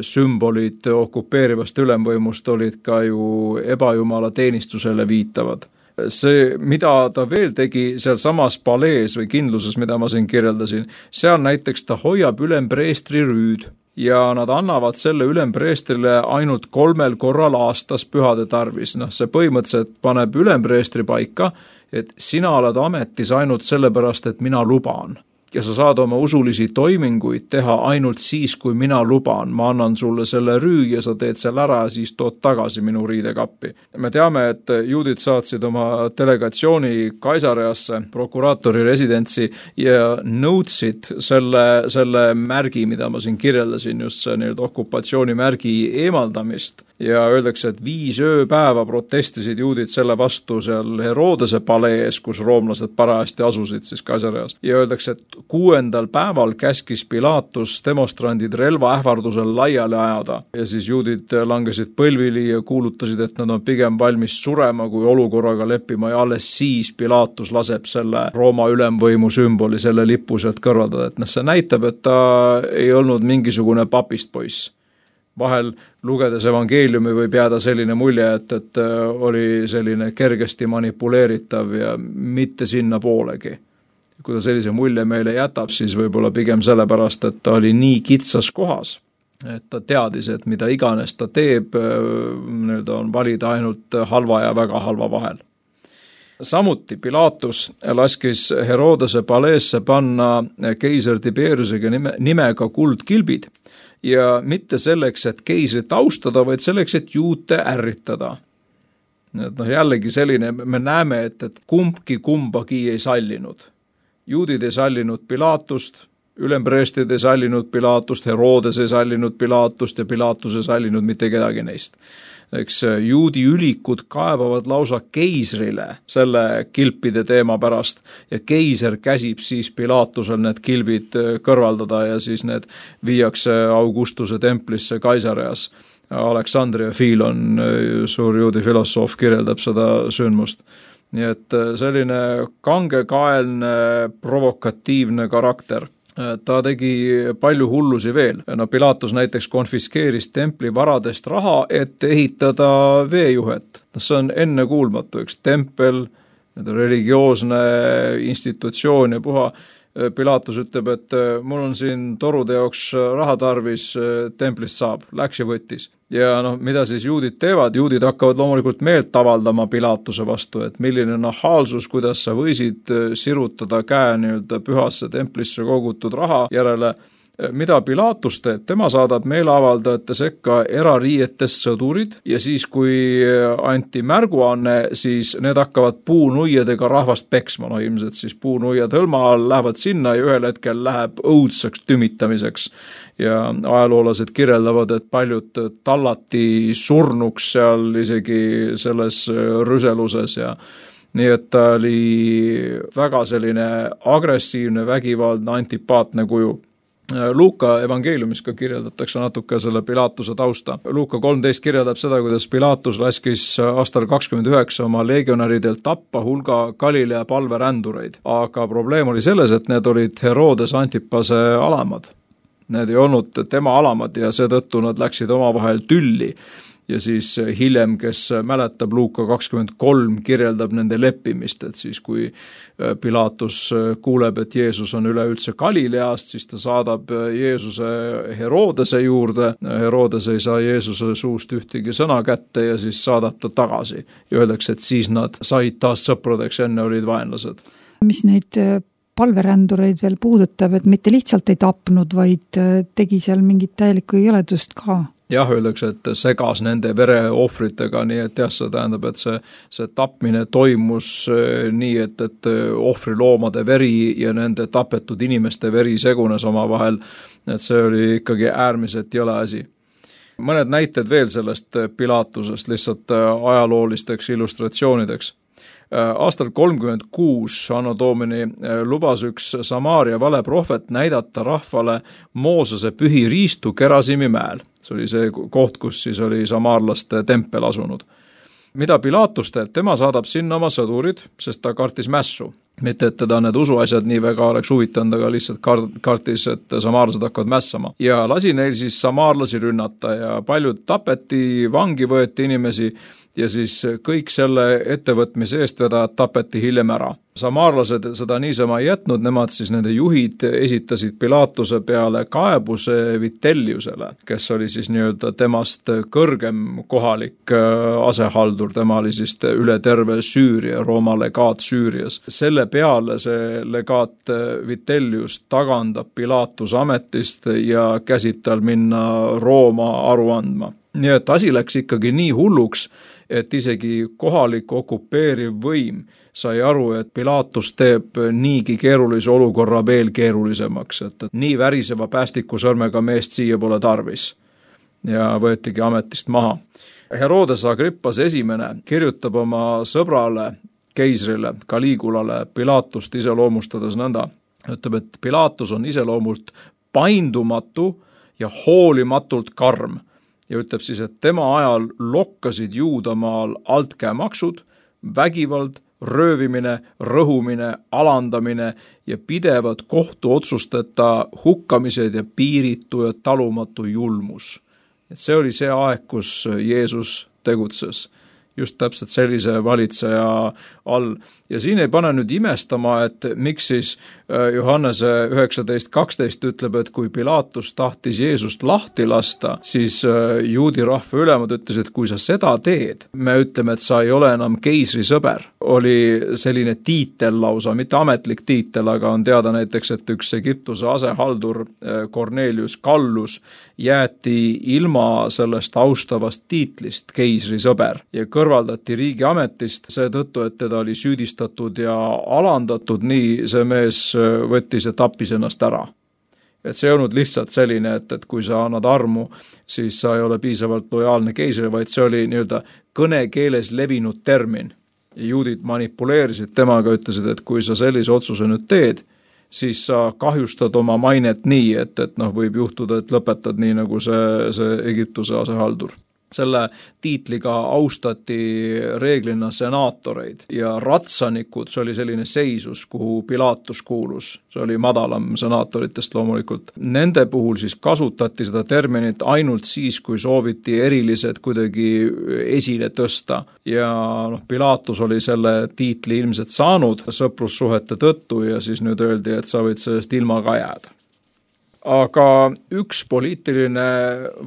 sümbolid okupeerivast ülemvõimust olid ka ju ebajumala teenistusele viitavad. See, mida ta veel tegi seal samas palees või kindluses, mida ma siin kirjeldasin, seal näiteks ta hoiab ülempreestri rüüd ja nad annavad selle ülempreestrile ainult kolmel korral aastas pühade tarvis. Noh, see põhimõtteliselt paneb ülempreestri paika, et sina oled ametis ainult sellepärast, et mina luban. Ja sa saad oma usulisi toiminguid teha ainult siis, kui mina luban. Ma annan sulle selle rüü ja sa teed selle ära ja siis tood tagasi minu riidekappi. Me teame, et juudid saatsid oma delegatsiooni Kaisareasse, prokuraatori residentsi ja nõudsid selle, selle märgi, mida ma siin kirjeldasin, just see nii-öelda okupatsioonimärgi eemaldamist. Ja öeldakse, et viis ööpäeva protestisid juudid selle vastu seal Herodese palees, kus roomlased parajasti asusid siis Kaisareas. Ja öeldakse, et kuuendal päeval käskis Pilatus demonstrandid relva ähvardusel laiali ajada ja siis juudid langesid põlvili ja kuulutasid, et nad on pigem valmis surema kui olukorraga leppima ja alles siis Pilatus laseb selle Rooma ülemvõimu sümboli, selle lipu sealt kõrvaldada. Et noh, see näitab, et ta ei olnud mingisugune papist poiss. Vahel lugedes evangeeliumi võib jääda selline mulje, et, et oli selline kergesti manipuleeritav ja mitte sinna poolegi. Kui ta sellise mulje meile jätab, siis võib-olla pigem sellepärast, et ta oli nii kitsas kohas, et ta teadis, et mida iganes ta teeb, on valida ainult halva ja väga halva vahel. Samuti Pilatus laskis Herodese paleesse panna keiser Tiberiusega nime, nimega kuldkilbid ja mitte selleks, et keisrit austada, vaid selleks, et juute ärritada. Et noh, jällegi selline, me näeme, et, et kumbki kumbagi ei sallinud. Juudid ei sallinud Pilatust, ülempreestid ei sallinud Pilatust, Herodes ei sallinud Pilatust ja Pilatus ei sallinud mitte kedagi neist. Eks juudi ülikud kaebavad lausa keisrile selle kilpide teema pärast ja keiser käsib siis Pilatusel need kilbid kõrvaldada ja siis need viiakse Augustuse templisse Kaisareas. Aleksandria Filon, suur juudi filosoof, kirjeldab seda sündmust. Nii et selline kangekaelne, provokatiivne karakter. Ta tegi palju hullusi veel. No, Pilatus näiteks konfiskeeris templi varadest raha, et ehitada veejuhet. See on ennekuulmatu, üks tempel, religioosne institutsioon ja puha. Pilatus ütleb, et mul on siin torude jaoks raha tarvis, templist saab, läks ja võttis. Ja noh, mida siis juudid teevad? Juudid hakkavad loomulikult meelt avaldama Pilatuse vastu, et milline nahaalsus, kuidas sa võisid sirutada käe nii-öelda pühasse templisse kogutud raha järele. Mida Pilatus teeb? Tema saadab meeleavaldajate sekka erariietest sõdurid ja siis, kui anti märguanne, siis need hakkavad puunuiadega rahvast peksma. No ilmselt siis puunuiad hõlma all lähevad sinna ja ühel hetkel läheb õudseks tümitamiseks. Ja ajaloolased kirjeldavad, et paljud tallati surnuks seal isegi selles rüseluses ja nii et ta oli väga selline agressiivne, vägivaldne, antipaatne kuju. Luuka evangeeliumis ka kirjeldatakse natuke selle Pilatuse tausta. Luuka kolmteist kirjeldab seda, kuidas Pilatus laskis aastal kakskümmend üheksa oma legionäridelt tappa hulga Galilea palverändureid. Aga probleem oli selles, et need olid Herodes Antipase alamad. Need ei olnud tema alamad ja seetõttu nad läksid omavahel tülli. Ja siis hiljem, kes mäletab, Luuka kakskümmend kolm kirjeldab nende leppimist, et siis kui Pilatus kuuleb, et Jeesus on üleüldse Galileast, siis ta saadab Jeesuse Herodese juurde. Herodes ei saa Jeesuse suust ühtegi sõna kätte ja siis saadab ta tagasi. Ja öeldakse, et siis nad said taas sõpradeks, enne olid vaenlased. Mis neid palverändureid veel puudutab, et mitte lihtsalt ei tapnud, vaid tegi seal mingit täielikku jõledust ka. Jah, öeldakse, et segas nende vereohvritega, nii et jah, see tähendab, et see, see tapmine toimus nii, et, et ohvriloomade veri ja nende tapetud inimeste veri segunes oma vahel, et see oli ikkagi äärmiselt jõle asi. mõned näited veel sellest Pilatusest lihtsalt ajaloolisteks illustratsioonideks. Aastal kolmkümmend kuus Anno Domini lubas üks Samaaria valeprohvet näidata rahvale Moosese pühi riistu Gerasimi mäel. See oli see koht, kus siis oli samaarlaste tempel asunud. Mida Pilatus teeb? Tema saadab sinna oma sõdurid, sest ta kartis mässu. Mitte, et teda need usuasjad nii väga oleks huvitanud, aga lihtsalt kartis, et samaarlased hakkavad mässama. Ja lasi neil siis samaarlasi rünnata ja paljud tapeti, vangi võeti inimesi ja siis kõik selle ettevõtmise eestvedajad tapeti hiljem ära. Samaarlased seda niisama ei jätnud, nemad siis nende juhid esitasid Pilatuse peale kaebuse Vitelliusele, kes oli siis nii-öelda temast kõrgem kohalik asehaldur, tema oli siis üle terve Süüria, Rooma legaat Süürias. Selle peale see legaat Vitellius tagandab Pilatus ametist ja käsib tal minna Rooma aru andma. Nii et asi läks ikkagi nii hulluks, et isegi kohalik okupeeriv võim sai aru, et Pilatus teeb niigi keerulise olukorra veel keerulisemaks, et nii väriseva päästikusõrmega meest siia pole tarvis. Ja võetigi ametist maha. Herodes Agrippas esimene kirjutab oma sõbrale, keisrile, Caligulale Pilatust iseloomustades nõnda. Ütleb, et Pilatus on iseloomult paindumatu ja hoolimatult karm. Ja ütleb siis, et tema ajal lokkasid Juudamaal altkäemaksud, vägivald, röövimine, rõhumine, alandamine ja pidevad kohtuotsusteta hukkamised ja piiritu ja talumatu julmus. Et see oli see aeg, kus Jeesus tegutses. Just täpselt sellise valitseja all. Ja siin ei pane nüüd imestama, et miks siis Johannese üheksateist kaksteist ütleb, et kui Pilatus tahtis Jeesust lahti lasta, siis juudi rahva ülemad ütles, et kui sa seda teed, me ütleme, et sa ei ole enam keisri sõber. Oli selline tiitel lausa, mitte ametlik tiitel, aga on teada näiteks, et üks Egiptuse asehaldur Cornelius Gallus jäeti ilma sellest austavast tiitlist keisri sõber ja kõrvaldati riigi ametist seetõttu, et teda oli süüdistatud ja alandatud, nii see mees võttis ja tappis ennast ära. Et see ei olnud lihtsalt selline, et, et kui sa annad armu, siis sa ei ole piisavalt lojaalne keisrile, vaid see oli nii-öelda kõnekeeles levinud termin. Juudid manipuleerisid temaga, ütlesid, et kui sa sellise otsuse nüüd teed, siis sa kahjustad oma mainet nii, et, et noh, võib juhtuda, et lõpetad nii nagu see, see Egiptuse asehaldur. Selle tiitliga austati reeglina senaatoreid ja ratsanikud, see oli selline seisus, kuhu Pilatus kuulus. See oli madalam senaatoritest loomulikult. Nende puhul siis kasutati seda terminit ainult siis, kui sooviti erilised kuidagi esile tõsta. Ja noh, Pilatus oli selle tiitli ilmselt saanud sõprussuhete tõttu ja siis nüüd öeldi, et sa võid sellest ilma ka jääda. Aga üks poliitiline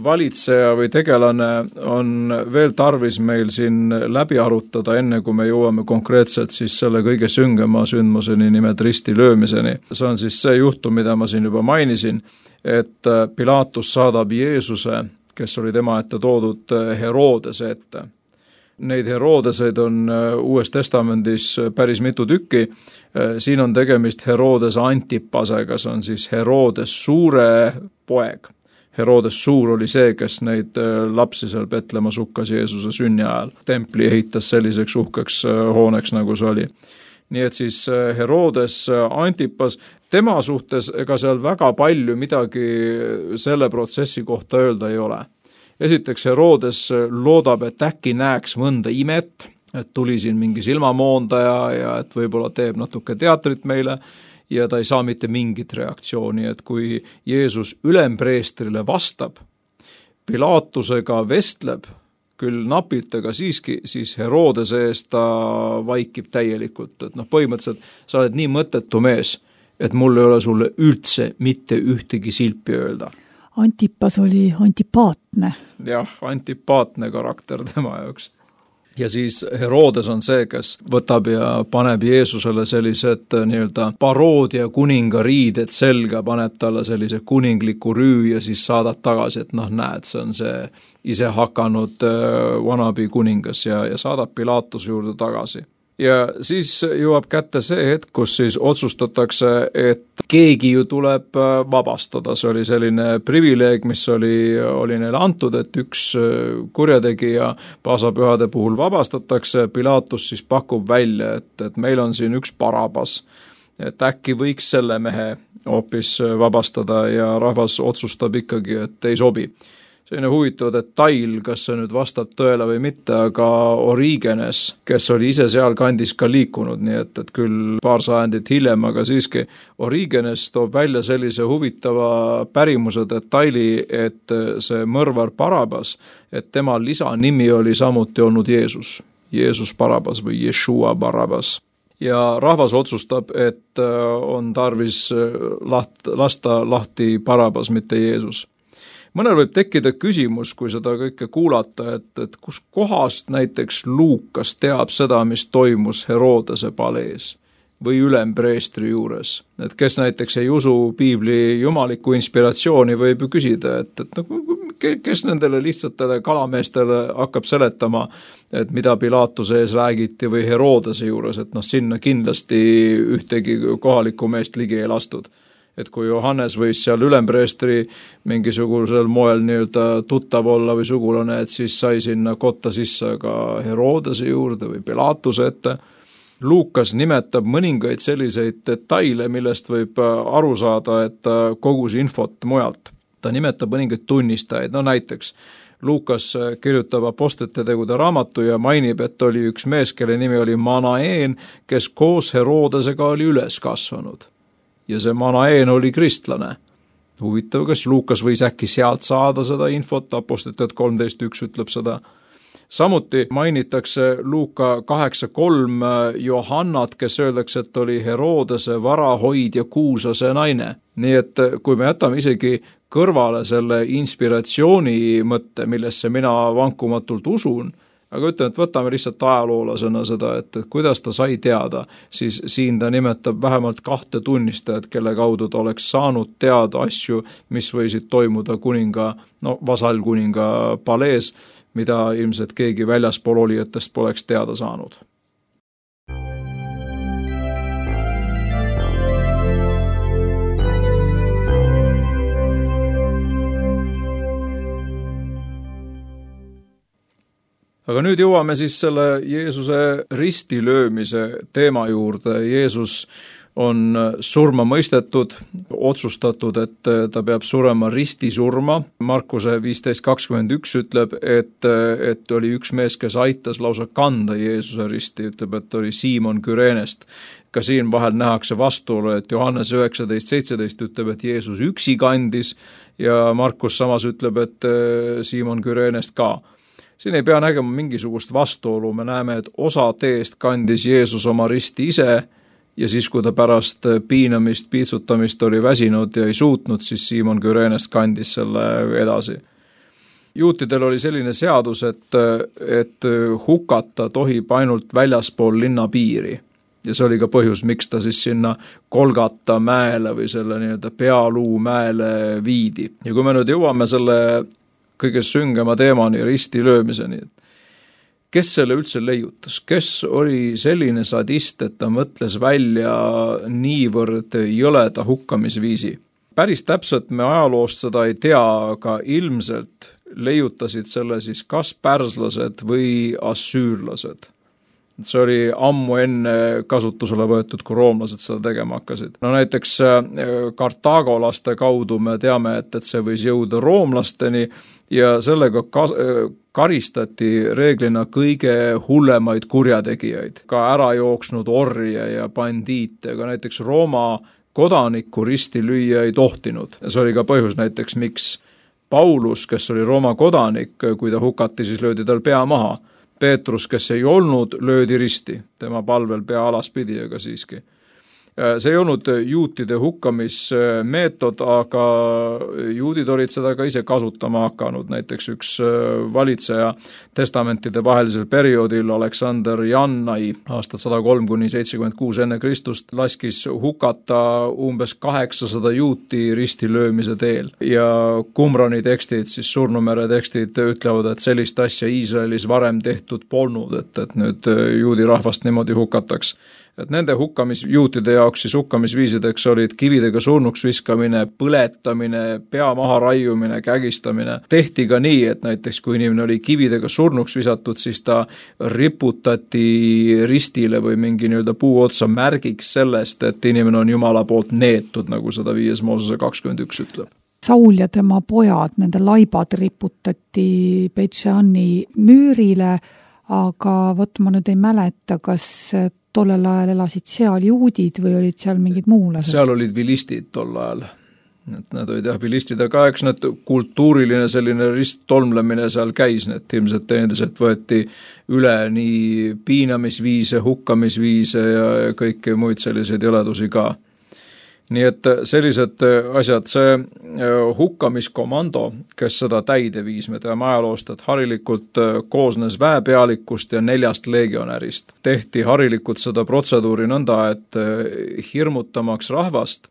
valitseja või tegelane on veel tarvis meil siin läbi arutada, enne kui me jõuame konkreetselt siis selle kõige süngema sündmuseni nimelt risti löömiseni. See on siis see juhtum, mida ma siin juba mainisin, et Pilatus saadab Jeesuse, kes oli tema ette toodud Herodese ette. Neid Herodeseid on Uues Testamendis päris mitu tükki. Siin on tegemist Herodes Antipasega, see on siis Herodes suure poeg. Herodes suur oli see, kes neid lapsi seal Petlemmas hukkas Jeesuse sünni ajal. Templi ehitas selliseks uhkeks hooneks, nagu see oli. Nii et siis Herodes Antipas, tema suhtes ega seal väga palju midagi selle protsessi kohta öelda ei ole. Esiteks Herodes loodab, et äkki näeks mõnda imet, et tuli siin mingi silmamoondaja ja et võib-olla teeb natuke teatrit meile ja ta ei saa mitte mingit reaktsiooni, et kui Jeesus ülempreestrile vastab, Pilatusega vestleb, küll napilt, aga siiski, siis Herodese eest ta vaikib täielikult, et noh, põhimõtteliselt sa oled nii mõttetu mees, et mul ei ole sulle üldse mitte ühtegi silpi öelda. Antipas oli antipaatne. Jah, antipaatne karakter tema jaoks. Ja siis Herodes on see, kes võtab ja paneb Jeesusele sellised nii-öelda paroodia kuninga riided selga, paneb talle sellise kuningliku rüü ja siis saadab tagasi, et noh, näed, see on see ise hakanud wannabe kuningas ja, ja saadab Pilatuse juurde tagasi. Ja siis jõuab kätte see hetk, kus siis otsustatakse, et keegi ju tuleb vabastada, see oli selline privileeg, mis oli, oli neile antud, et üks kurjategija paasapühade puhul vabastatakse, Pilatus siis pakub välja, et, et meil on siin üks Barabas, et äkki võiks selle mehe hoopis vabastada ja rahvas otsustab ikkagi, et ei sobi. Selline huvitav detail, kas see nüüd vastab tõele või mitte, aga Origenes, kes oli ise seal kandis ka liikunud, nii et, et küll paar sajandit hiljem, aga siiski Origenes toob välja sellise huvitava pärimuse detaili, et see mõrvar Barabas, et tema lisanimi oli samuti olnud Jeesus, Jeesus Barabas või Yeshua Barabas. Ja rahvas otsustab, et on tarvis laht, lasta lahti Barabas, mitte Jeesus. Mõnel võib tekkida küsimus, kui seda kõike kuulata, et, et kus kohast näiteks Luukas teab seda, mis toimus Herodese palees või ülempreestri juures. Et kes näiteks ei usu piibli jumalikku inspiratsiooni, võib ju küsida, et, et kes nendele lihtsatele kalameestele hakkab seletama, et mida Pilatuse ees räägiti või Herodese juures, et noh, sinna kindlasti ühtegi kohalikku meest ligi ei lastud. Et kui Johannes võis seal ülempreestri mingisugusel moel nii-öelda tuttav olla või sugulane, et siis sai sinna kotta sisse ka Herodese juurde või Pilatuse ette. Luukas nimetab mõningaid selliseid detaile, millest võib aru saada, et kogus infot mujalt. Ta nimetab mõningaid tunnistajaid, no näiteks Luukas kirjutab Apostlite tegude raamatu ja mainib, et oli üks mees, kelle nimi oli Manaen, kes koos Herodesega oli üles kasvanud. Ja see Manaen oli kristlane. Huvitav, kas Luukas võis äkki sealt saada seda infot, Apostlite kolmteist üks ütleb seda. Samuti mainitakse Luuka kaheksa kolm Johannat, kes öeldakse, et oli Herodese varahoid ja kuusase naine. Nii et kui me jätame isegi kõrvale selle inspiratsiooni mõtte, millesse mina vankumatult usun, aga ütlen, et võtame lihtsalt ajaloolasena seda, et, et kuidas ta sai teada, siis siin ta nimetab vähemalt kahte tunnistajat, kelle kaudu ta oleks saanud teada asju, mis võisid toimuda kuninga, no vasallkuninga palees, mida ilmselt keegi väljaspool olijatest poleks teada saanud. Aga nüüd jõuame siis selle Jeesuse ristilöömise teema juurde. Jeesus on surma mõistetud, otsustatud, et ta peab surema ristisurma. Markuse viisteist kakskümmend üks ütleb, et, et oli üks mees, kes aitas lausa kanda Jeesuse risti, ütleb, et oli Siimon Kürenest. Ka siin vahel nähakse vastuolu, et Johannes üheksateist seitseteist ütleb, et Jeesus üksi kandis ja Markus samas ütleb, et Siimon Kürenest ka. Siin ei pea nägema mingisugust vastuolu, me näeme, et osa teest kandis Jeesus oma risti ise ja siis, kui ta pärast piinamist, piitsutamist oli väsinud ja ei suutnud, siis Siimon Kürenest kandis selle edasi. Juutidel oli selline seadus, et, et hukata tohib ainult väljaspool linna piiri. Ja see oli ka põhjus, miks ta siis sinna Golgata mäele või selle nii-öelda pealuu mäele viidi. Ja kui me nüüd jõuame selle kõige süngema teemani, risti löömiseni. Kes selle üldse leiutas? Kes oli selline sadist, et ta mõtles välja niivõrd jõleda hukkamisviisi? Päris täpselt me ajaloost seda ei tea, aga ilmselt leiutasid selle siis kas pärslased või assüürlased. See oli ammu enne kasutusele võetud, kui roomlased seda tegema hakkasid. No näiteks kartaagolaste kaudu me teame, et, et see võis jõuda roomlasteni ja sellega karistati reeglina kõige hullemaid kurjategijaid, ka ära jooksnud orje ja bandiite, aga näiteks Rooma kodanikku risti lüüa ei tohtinud. Ja see oli ka põhjus näiteks, miks Paulus, kes oli Rooma kodanik, kui ta hukati, siis löödi tal pea maha. Peetrus, kes ei olnud, löödi risti, tema palvel pea alaspidi, aga siiski. See ei olnud juutide hukkamismeetod, aga juudid olid seda ka ise kasutama hakanud. Näiteks üks valitseja testamentide vahelisel perioodil, Aleksander Jannai, aastat sada kolm kuni seitsekümmend kuus enne Kristust, laskis hukata umbes kaheksasada juuti risti löömise teel. Ja Qumrani tekstid, siis Surnumere tekstid ütlevad, et sellist asja Iisraelis varem tehtud polnud, et, et nüüd juudi rahvast niimoodi hukataks. et nende hukkamisjuutide jaoks siis hukkamisviisideks olid kividega surnuks viskamine, põletamine, pea maha raiumine, kägistamine. Tehti ka nii, et näiteks kui inimene oli kividega surnuks visatud, siis ta riputati ristile või mingi nii-öelda puu otsa märgiks sellest, et inimene on Jumala poolt neetud, nagu seda viies Moosese kakskümmend üks ütleb. Saul ja tema pojad, nende laibad riputati Beit-Sheani müürile, aga vot ma nüüd ei mäleta, kas tollel ajal elasid seal juudid või olid seal mingid muulased? Seal olid vilistid tol ajal. Et nad olid jah vilistid, aga eks need kultuuriline selline risttolmlemine seal käis, need ilmselt teineteselt võeti üle nii piinamisviise, hukkamisviise ja kõiki muid selliseid jõledusi ka. Nii et sellised asjad, see hukkamiskomando, kes seda täide viis, me teame ajaloost, et harilikult koosnes väepealikust ja neljast legionärist. Tehti harilikult seda protseduuri nõnda, et hirmutamaks rahvast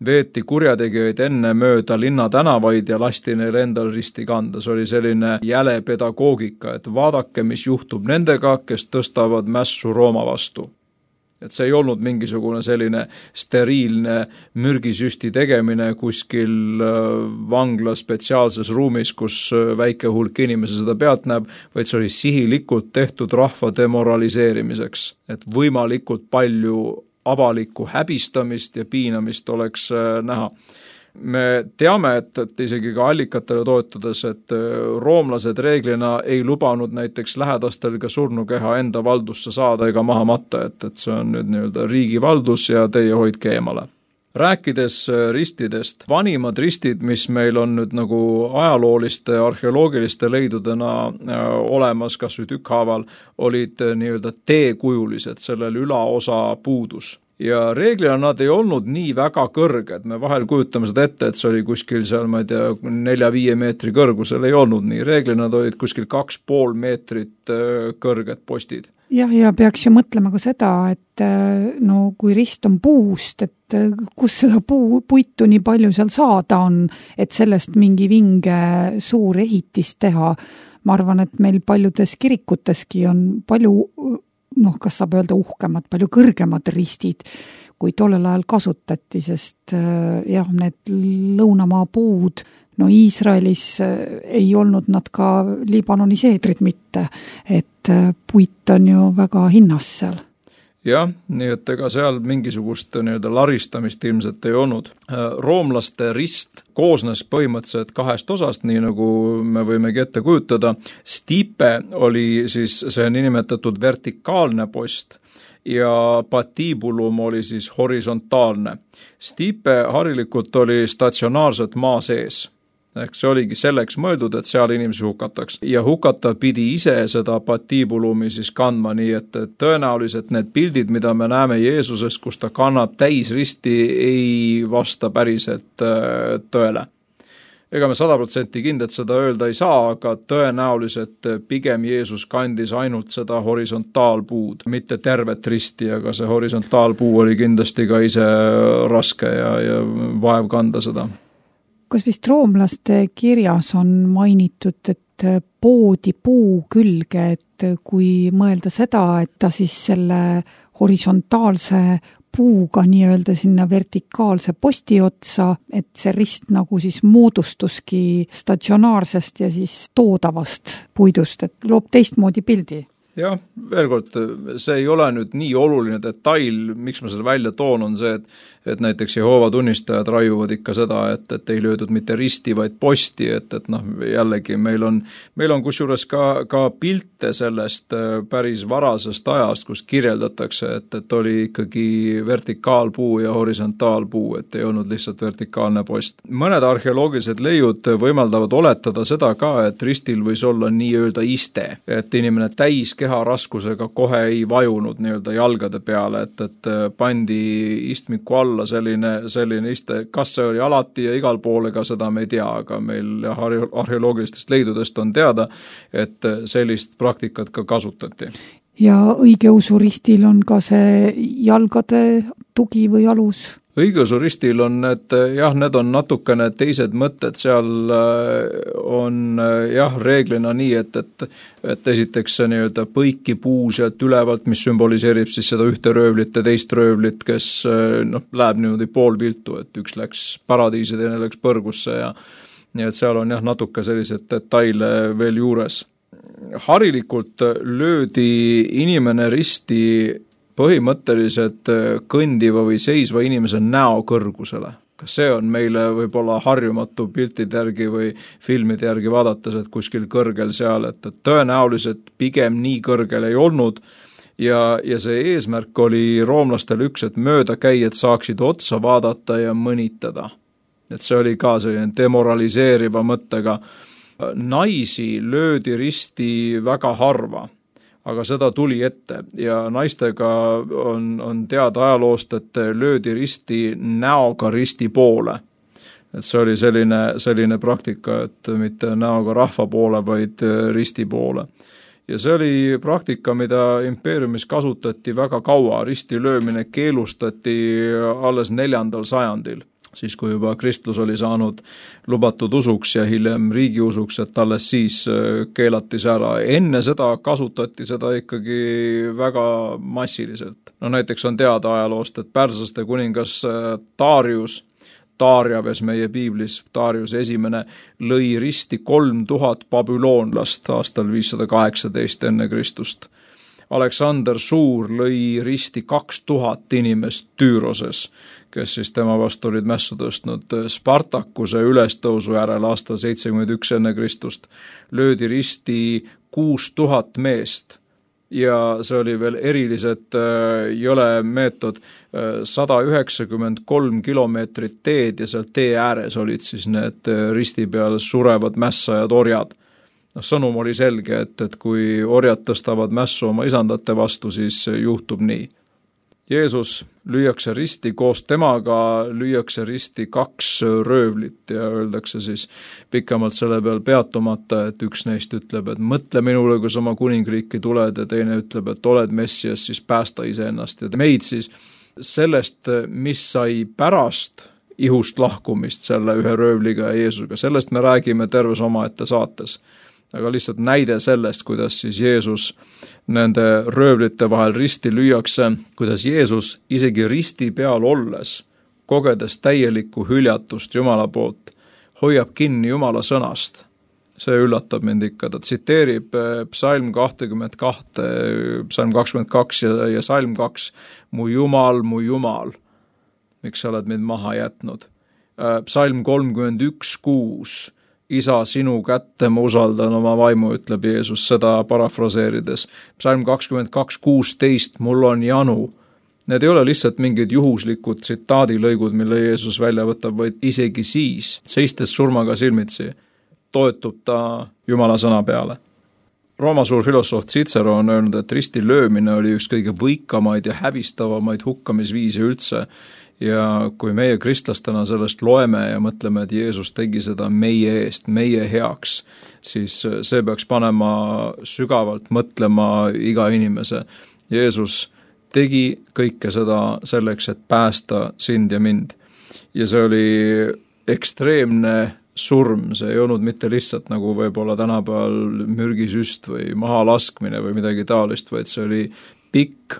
veeti kurjategijaid enne mööda linna tänavaid ja lasti neil endal risti kanda. See oli selline jäle pedagoogika, et vaadake, mis juhtub nendega, kes tõstavad mässu Rooma vastu. Et see ei olnud mingisugune selline steriilne mürgisüsti tegemine kuskil vangla spetsiaalses ruumis, kus väike hulk inimesi seda pealt näeb, vaid see oli sihilikult tehtud rahva demoraliseerimiseks, et võimalikult palju avalikku häbistamist ja piinamist oleks näha. Me teame, et, et isegi ka allikatele toetades, et roomlased reeglina ei lubanud näiteks lähedastel ka surnukeha enda valdusse saada ega maha matta, et, et see on nüüd nii-öelda riigi valdus ja teie hoidke eemale. Rääkides ristidest, vanimad ristid, mis meil on nüüd nagu ajalooliste, arheoloogiliste leidudena olemas, kas või tükkhaaval, olid nii-öelda teekujulised, sellel ülaosa puudus. Ja reeglina nad ei olnud nii väga kõrged, me vahel kujutame seda ette, et see oli kuskil seal, ma ei tea, nelja-viie meetri kõrgusel, ei olnud nii, reeglina nad olid kuskil kaks pool meetrit kõrged postid. Jah, ja peaks ju mõtlema ka seda, et no kui rist on puust, et kus seda puu, puitu nii palju seal saada on, et sellest mingi vinge suur ehitis teha. Ma arvan, et meil paljudes kirikuteski on palju noh, kas saab öelda uhkemad, palju kõrgemad ristid, kui tollel ajal kasutati, sest jah, need lõunamaa puud, no Iisraelis ei olnud nad ka Liibanoni seedrid mitte, et puit on ju väga hinnas seal. Jah, nii et ega seal mingisugust nii-öelda laristamist ilmselt ei olnud. Roomlaste rist koosnes põhimõtteliselt kahest osast, nii nagu me võimegi ette kujutada. Stipe oli siis see nimetatud vertikaalne post ja patibulum oli siis horisontaalne. Stipe harilikult oli statsionaarselt maa sees. Ehk see oligi selleks mõeldud, et seal inimesi hukataks. Ja hukata pidi ise seda patibulumi siis kandma, nii et tõenäoliselt need pildid, mida me näeme Jeesusest, kus ta kannab täisristi, ei vasta päriselt tõele. Ega me sada protsenti kindlalt seda öelda ei saa, aga tõenäoliselt pigem Jeesus kandis ainult seda horisontaalpuud, mitte tervet risti, aga see horisontaalpuu oli kindlasti ka ise raske ja, ja vaev kanda seda. Kas vist roomlaste kirjas on mainitud, et poodi puu külge, et kui mõelda seda, et ta siis selle horisontaalse puuga nii-öelda sinna vertikaalse posti otsa, et see rist nagu siis moodustuski statsionaarsest ja siis toodavast puidust, et loob teistmoodi pildi. Jah, veel kord, see ei ole nüüd nii oluline detail, miks ma seda välja toon, on see, et et näiteks Jehoova tunnistajad raiuvad ikka seda, et, et ei löödud mitte risti, vaid posti, et, et noh, jällegi meil on, meil on kusjuures ka, ka pilte sellest päris varasest ajast, kus kirjeldatakse, et, et oli ikkagi vertikaalpuu ja horisontaalpuu, et ei olnud lihtsalt vertikaalne post. Mõned arheoloogilised leiud võimaldavad oletada seda ka, et ristil võis olla nii-öelda iste, et inimene täis keha raskusega kohe ei vajunud nii-öelda jalgade peale, et, et pandi istmiku alla selline, selline iste, kas see oli alati ja igal pool, ega seda me ei tea, aga meil arheoloogilistest leidudest on teada, et sellist praktikat ka kasutati. Ja õigeusu ristil on ka see jalgade tugi või alus? õigeusu ristil on need, jah, need on natukene teised mõtted, seal on jah, reeglina nii, et, et, et esiteks see nii-öelda põiki puu sealt ülevalt, mis sümboliseerib siis seda ühte röövlit ja teist röövlit, kes noh, läheb niimoodi poolviltu, et üks läks paradiisi, teine läks põrgusse ja nii et seal on jah, natuke sellised detaile veel juures. Harilikult löödi inimene risti põhimõtteliselt kõndiva või seisva inimese näo kõrgusele. Kas see on meile võib-olla harjumatu piltide järgi või filmide järgi vaadates, et kuskil kõrgel seal, et tõenäoliselt pigem nii kõrgel ei olnud ja, ja see eesmärk oli roomlastel üks, et möödakäijad saaksid otsa vaadata ja mõnitada. Et see oli ka selline demoraliseeriva mõttega. Naisi löödi risti väga harva, aga seda tuli ette ja naistega on, on teada ajaloost, et löödi risti näoga risti poole. Et see oli selline, selline praktika, et mitte näoga rahva poole, vaid risti poole. Ja see oli praktika, mida impeeriumis kasutati väga kaua. Risti löömine keelustati alles neljandal sajandil. Siis kui juba kristlus oli saanud lubatud usuks ja hiljem riigiusuks, et alles siis keelati see ära. Enne seda kasutati seda ikkagi väga massiliselt. No näiteks on teada ajaloost, et pärslaste kuningas Darius, Darjaves meie piiblis, Darius esimene lõi risti kolm tuhat babüloonlast aastal viissada kaheksateist enne Kristust. Aleksander Suur lõi risti kaks tuhat inimest Tüüroses, kes siis tema vastu olid mässu tõstnud. Spartakuse ülestõusu järel aastal seitsekümmend üks enne Kristust löödi risti kuus tuhat meest ja see oli veel eriliselt jõle meetod, sada üheksakümmend kolm kilomeetrit teed ja seal tee ääres olid siis need risti peal surevad mässajad orjad. No, sõnum oli selge, et, et kui orjad tõstavad mässu oma isandate vastu, siis juhtub nii. Jeesus lüüakse risti, koos temaga lüüakse risti kaks röövlit ja öeldakse siis pikemalt selle peal peatumata, et üks neist ütleb, et mõtle minule, kui sa oma kuningriiki tuled ja teine ütleb, et oled Messias, siis päästa iseennast ja meid siis sellest, mis sai pärast ihust lahkumist selle ühe röövliga ja Jeesusega. Sellest me räägime terves omaette saates. Aga lihtsalt näide sellest, kuidas siis Jeesus nende röövlite vahel risti lüüakse, kuidas Jeesus isegi risti peal olles, kogedes täielikku hüljatust Jumala poolt, hoiab kinni Jumala sõnast. See üllatab mind ikka, ta tsiteerib psalm kakskümmend kaks, psalm kakskümmend kaks ja, ja psalm kaks, mu Jumal, mu Jumal, miks sa oled mind maha jätnud. Psalm kolmkümmend üks kuus, Isa, sinu kätte ma usaldan oma vaimu, ütleb Jeesus seda parafraseerides. Psalm kakskümmend kaks kuusteist, mul on janu. Need ei ole lihtsalt mingid juhuslikud tsitaadilõigud, mille Jeesus välja võtab, vaid isegi siis, seistes surmaga silmitsi, toetub ta Jumala sõna peale. Rooma suur filosoof Cicero on öelnud, et risti löömine oli üks kõige võikamaid ja hävistavamaid hukkamisviisi üldse. Ja kui meie kristlastena sellest loeme ja mõtleme, et Jeesus tegi seda meie eest, meie heaks, siis see peaks panema sügavalt mõtlema iga inimese. Jeesus tegi kõike seda selleks, et päästa sind ja mind. Ja see oli ekstreemne surm, see ei olnud mitte lihtsalt nagu võib-olla tänapäeval mürgisüst või mahalaskmine või midagi taolist, vaid see oli pikk,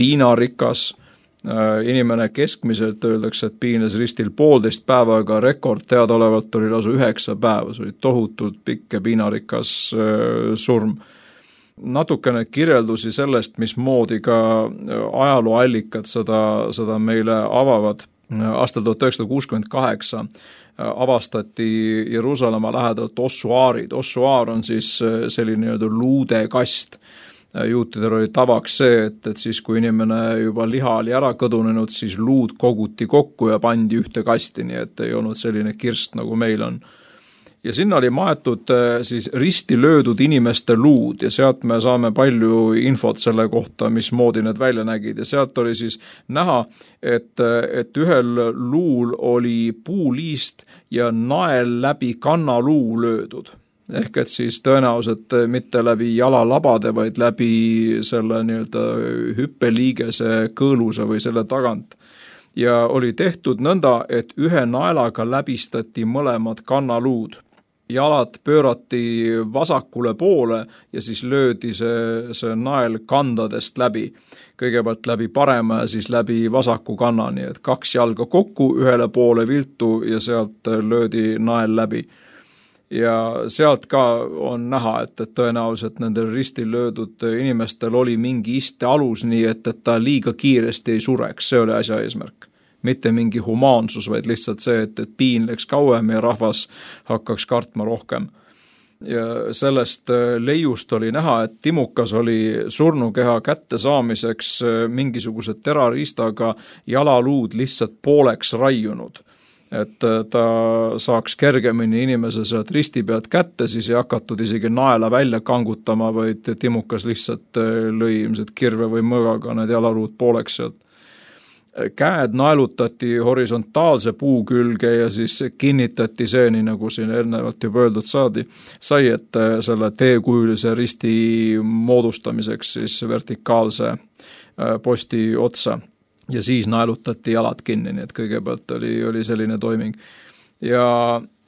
piinarikas. Inimene keskmiselt öeldakse, et piines ristil poolteist päeva, aga rekord teadaolevalt oli lausa üheksa päeva, see oli tohutult pikk ja piinarikas surm. Natukene kirjeldusi sellest, mismoodi ka ajalooallikad seda, seda meile avavad. Aastal tuhat üheksasada kuuskümmend kaheksa avastati Jeruusalemma lähedalt ossuaarid. Ossuaar on siis selline luudekast. Juutidel oli tavaks see, et, et siis kui inimene juba liha oli ära kõdunenud, siis luud koguti kokku ja pandi ühte kasti, nii et ei olnud selline kirst, nagu meil on. Ja sinna oli maetud siis risti löödud inimeste luud ja sealt me saame palju infot selle kohta, mismoodi need välja nägid ja sealt oli siis näha, et, et ühel luul oli puuliist ja nael läbi kannaluu löödud. Ehk et siis tõenäoliselt mitte läbi jalalabade, vaid läbi selle nii-öelda hüppeliigese kõõluse või selle tagant. ja oli tehtud nõnda, et ühe naelaga läbistati mõlemad kannaluud. Jalad pöörati vasakule poole ja siis löödi see, see nael kandadest läbi. Kõigepealt läbi parema ja siis läbi vasaku kannani, et kaks jalga kokku, ühele poole viltu ja sealt löödi nael läbi. Ja sealt ka on näha, et, et tõenäoliselt nendel ristil löödud inimestel oli mingi iste alus nii, et, et ta liiga kiiresti ei sureks, see oli asja eesmärk. Mitte mingi humaansus, vaid lihtsalt see, et, et piin läks kauem ja rahvas hakkaks kartma rohkem. Ja sellest leiust oli näha, et Timukas oli surnukeha kätte saamiseks mingisuguse terariistaga jalaluud lihtsalt pooleks raiunud. Et ta saaks kergemini inimese sealt risti pealt kätte, siis ei hakatud isegi naela välja kangutama, vaid Timukas lihtsalt lõi ilmselt kirve või mõgaga need jalaluud pooleks sealt. Käed naelutati horisontaalse puu külge ja siis kinnitati see, nii nagu siin eelnevalt juba öeldud saadi, sai, et selle teekujulise risti moodustamiseks siis vertikaalse posti otsa ja siis naelutati jalad kinni, nii et kõigepealt oli, oli selline toiming. Ja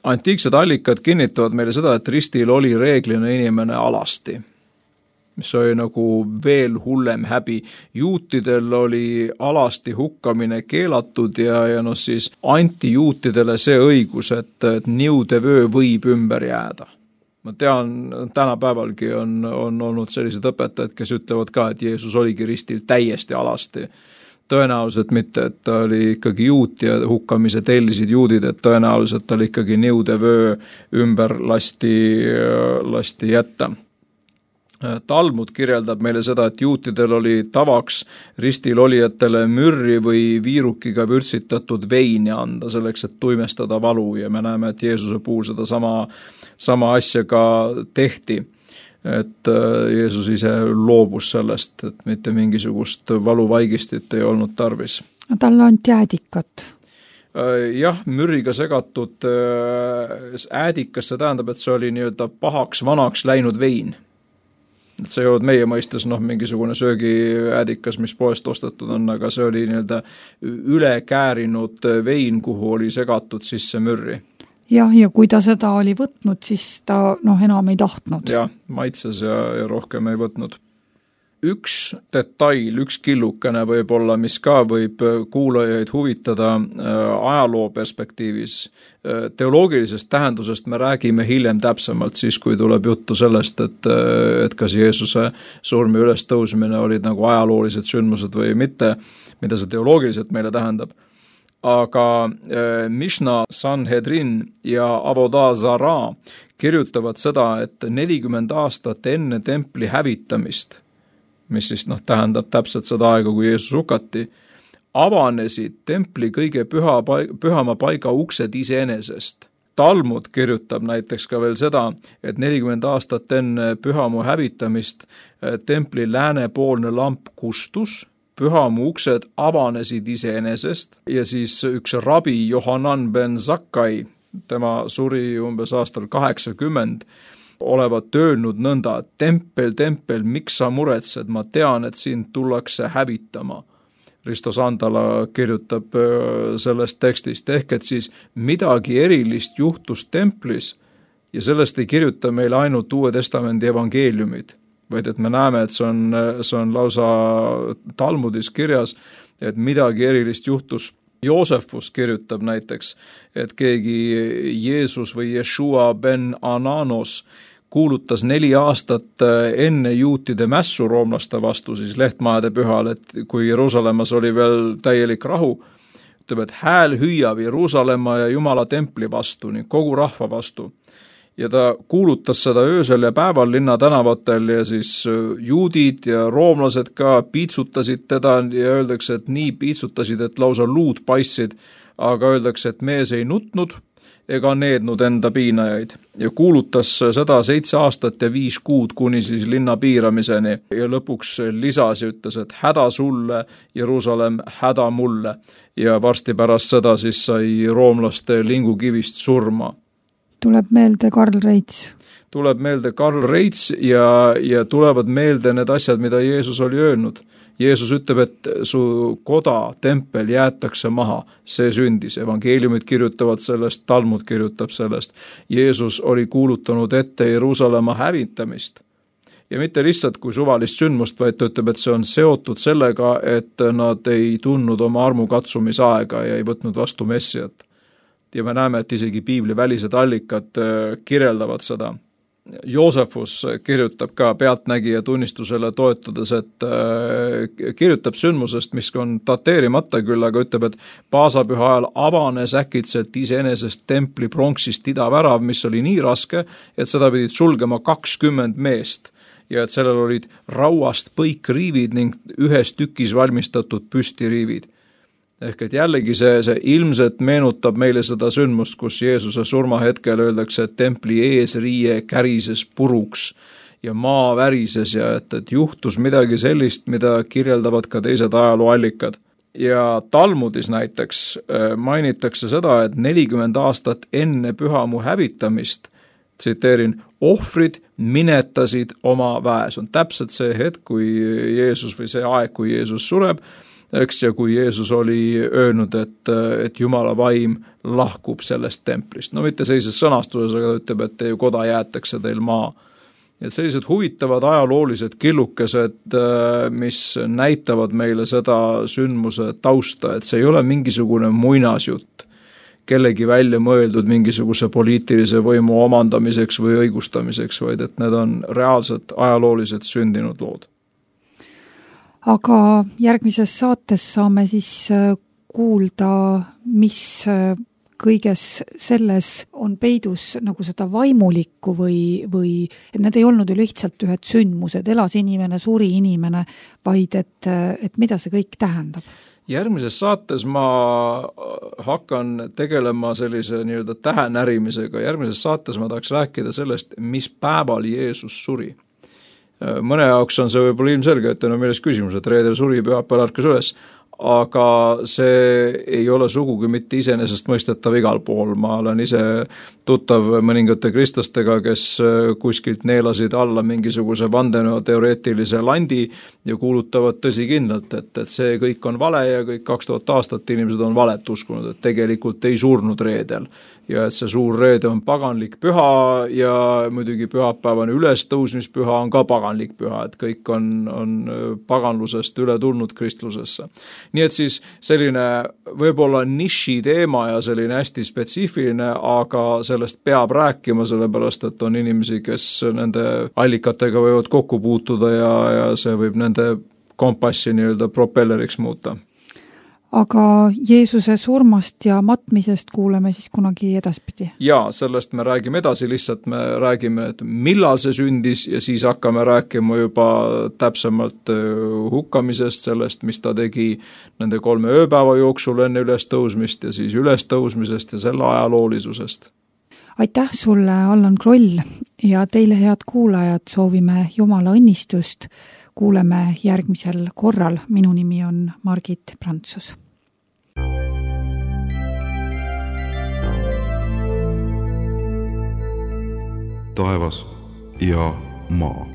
antiiksed allikad kinnitavad meile seda, et ristil oli reeglina inimene alasti, mis oli nagu veel hullem häbi. Juutidel oli alasti hukkamine keelatud ja, ja no siis anti juutidele see õigus, et, et niudevöö võib ümber jääda. Ma tean, tänapäevalgi on, on olnud sellised õpetajad, kes ütlevad ka, et Jeesus oligi ristil täiesti alasti. Tõenäoliselt mitte, et ta oli ikkagi juut ja hukkamise tellisid juudid, et tõenäoliselt ta oli ikkagi niudevöö ümber lasti, lasti jätta. Talmud kirjeldab meile seda, et juutidel oli tavaks ristil olijatele mürri või viirukiga vürtsitatud veini anda selleks, et tuimestada valu ja me näeme, et Jeesuse puhul seda sama, sama asja ka tehti. Et Jeesus ise loobus sellest, et mitte mingisugust valuvaigistit ei olnud tarvis. Talle anti äädikat. Jah, mürriga segatud äädikas, see tähendab, et see oli nii-öelda pahaks vanaks läinud vein. Et see ei olnud meie mõistes noh, mingisugune söögiäädikas, mis poest ostetud on, aga see oli nii-öelda üle käärinud vein, kuhu oli segatud sisse mürri. Jah, ja kui ta seda oli võtnud, siis ta noh, enam ei tahtnud. Jah, maitses ja, ja rohkem ei võtnud. Üks detail, üks killukene võib-olla, mis ka võib kuulajaid huvitada ajaloo perspektiivis. Teoloogilisest tähendusest me räägime hiljem täpsemalt siis, kui tuleb juttu sellest, et, et kas Jeesuse surmi üles tõusmine olid nagu ajaloolised sündmused või mitte, mida see teoloogiliselt meile tähendab. Aga Mishna, Sanhedrin ja Avodah Zara kirjutavad seda, et nelikümmend aastat enne templi hävitamist, mis siis noh, tähendab täpselt seda aega, kui Jeesus hukati, avanesid templi kõige püha, pühama paiga uksed iseenesest. Talmud kirjutab näiteks ka veel seda, et nelikümmend aastat enne pühamu hävitamist templi läänepoolne lamp kustus, pühamu uksed avanesid iseenesest ja siis üks rabi Johanan ben Zakkai, tema suri umbes aastal kaheksakümmend, olevat öelnud nõnda, et tempel, tempel, miks sa muretsed, ma tean, et sind tullakse hävitama. Risto Sandala kirjutab sellest tekstist, ehk et siis midagi erilist juhtus templis ja sellest ei kirjuta meile ainult Uue Testamendi evangeeliumid, vaid et me näeme, et see on, see on lausa Talmudis kirjas, et midagi erilist juhtus. Joosefus kirjutab näiteks, et keegi Jeesus või Jeshua ben Ananos kuulutas neli aastat enne juutide mässu roomlaste vastu, siis lehtmajade pühal, et kui Jeruusalemmas oli veel täielik rahu, ütleb, et hääl hüüab Jeruusalemma ja Jumala templi vastu, ning kogu rahva vastu. Ja ta kuulutas seda öösel ja päeval linna tänavatel ja siis juudid ja roomlased ka piitsutasid teda ja öeldakse, et nii piitsutasid, et lausa luud paissid, aga öeldakse, et mees ei nutnud ega neednud enda piinajaid ja kuulutas seda seitse aastat ja viis kuud kuni siis linna piiramiseni ja lõpuks lisas ja ütles, et häda sulle, Jeruusalemm, häda mulle ja varsti pärast seda siis sai roomlaste lingukivist surma. Tuleb meelde Karl Reits. Tuleb meelde Karl Reits ja, ja tulevad meelde need asjad, mida Jeesus oli öelnud. Jeesus ütleb, et su koda, tempel jäetakse maha, see sündis, evangeeliumid kirjutavad sellest, Talmud kirjutab sellest. Jeesus oli kuulutanud ette Jeruusalemma hävitamist. Ja mitte lihtsalt kui suvalist sündmust, vaid ta ütleb, et see on seotud sellega, et nad ei tundnud oma armukatsumisaega ja ei võtnud vastu Messiat. Ja me näeme, et isegi piibli välised allikad kirjeldavad seda. Joosefus kirjutab ka pealtnägija tunnistusele toetudes, et kirjutab sündmusest, mis on dateerimata küll, aga ütleb, et paasapüha ajal avanes äkitselt iseenesest templi pronksist idavärav, mis oli nii raske, et seda pidid sulgema kakskümmend meest ja et sellel olid rauast põikriivid ning ühes tükis valmistatud püstiriivid. Ehk et jällegi see, see ilmselt meenutab meile seda sündmust, kus Jeesuse surmahetkel öeldakse, et templi eesriie kärises puruks ja maa värises ja et, et juhtus midagi sellist, mida kirjeldavad ka teised ajalooallikad. Ja Talmudis näiteks mainitakse seda, et nelikümmend aastat enne pühamu hävitamist, tsiteerin, ohvrid minetasid oma väe. See on täpselt see hetk, kui Jeesus või see aeg, kui Jeesus sureb, eks, ja kui Jeesus oli öelnud, et, et Jumala vaim lahkub sellest templist. No mitte sellises sõnastuses, aga ta ütleb, et teie koda jäetakse teil maa. Et sellised huvitavad ajaloolised killukesed, mis näitavad meile seda sündmuse tausta, et see ei ole mingisugune muinasjutt, kellegi välja mõeldud mingisuguse poliitilise võimu omandamiseks või õigustamiseks, vaid et need on reaalselt ajalooliselt sündinud lood. Aga järgmises saates saame siis kuulda, mis kõiges selles on peidus nagu seda vaimulikku või, või et need ei olnud ju lihtsalt ühed sündmused, elas inimene, suri inimene, vaid et, et mida see kõik tähendab? Järgmises saates ma hakkan tegelema sellise nii-öelda tähenärimisega. Järgmises saates ma tahaks rääkida sellest, mis päeval Jeesus suri. Mõne jaoks on see võib-olla ilmselge, et on milles küsimus, et reedel suri, pühapäeval ärkas üles, aga see ei ole sugugi mitte iseenesest mõistetav igal pool. Ma olen ise tuttav mõningate kristlastega, kes kuskilt neelasid alla mingisuguse vandenõuteoreetilise landi ja kuulutavad tõsikindlalt, et, et see kõik on vale ja kõik kaks tuhat aastat inimesed on valet uskunud, et tegelikult ei surnud reedel. Ja et see suur reede on paganlik püha ja muidugi pühapäevane ülestõusmispüha on ka paganlik püha, et kõik on, on paganlusest üle tulnud kristlusesse. Nii et siis selline võib-olla niši teema ja selline hästi spetsiifiline, aga sellest peab rääkima, sellepärast et on inimesi, kes nende allikatega võivad kokku puutuda ja, ja see võib nende kompassi nii-öelda propelleriks muuta. Aga Jeesuse surmast ja matmisest kuuleme siis kunagi edaspidi? Jaa, sellest me räägime edasi, lihtsalt me räägime, et millal see sündis ja siis hakkame rääkima juba täpsemalt hukkamisest, sellest, mis ta tegi nende kolme ööpäeva jooksul enne ülestõusmist ja siis ülestõusmisest ja selle ajaloolisusest. Aitäh sulle, Allan Kroll, ja teile head kuulajad soovime Jumala õnnistust. Kuuleme järgmisel korral. Minu nimi on Margit Prantsus. Taevas ja maa.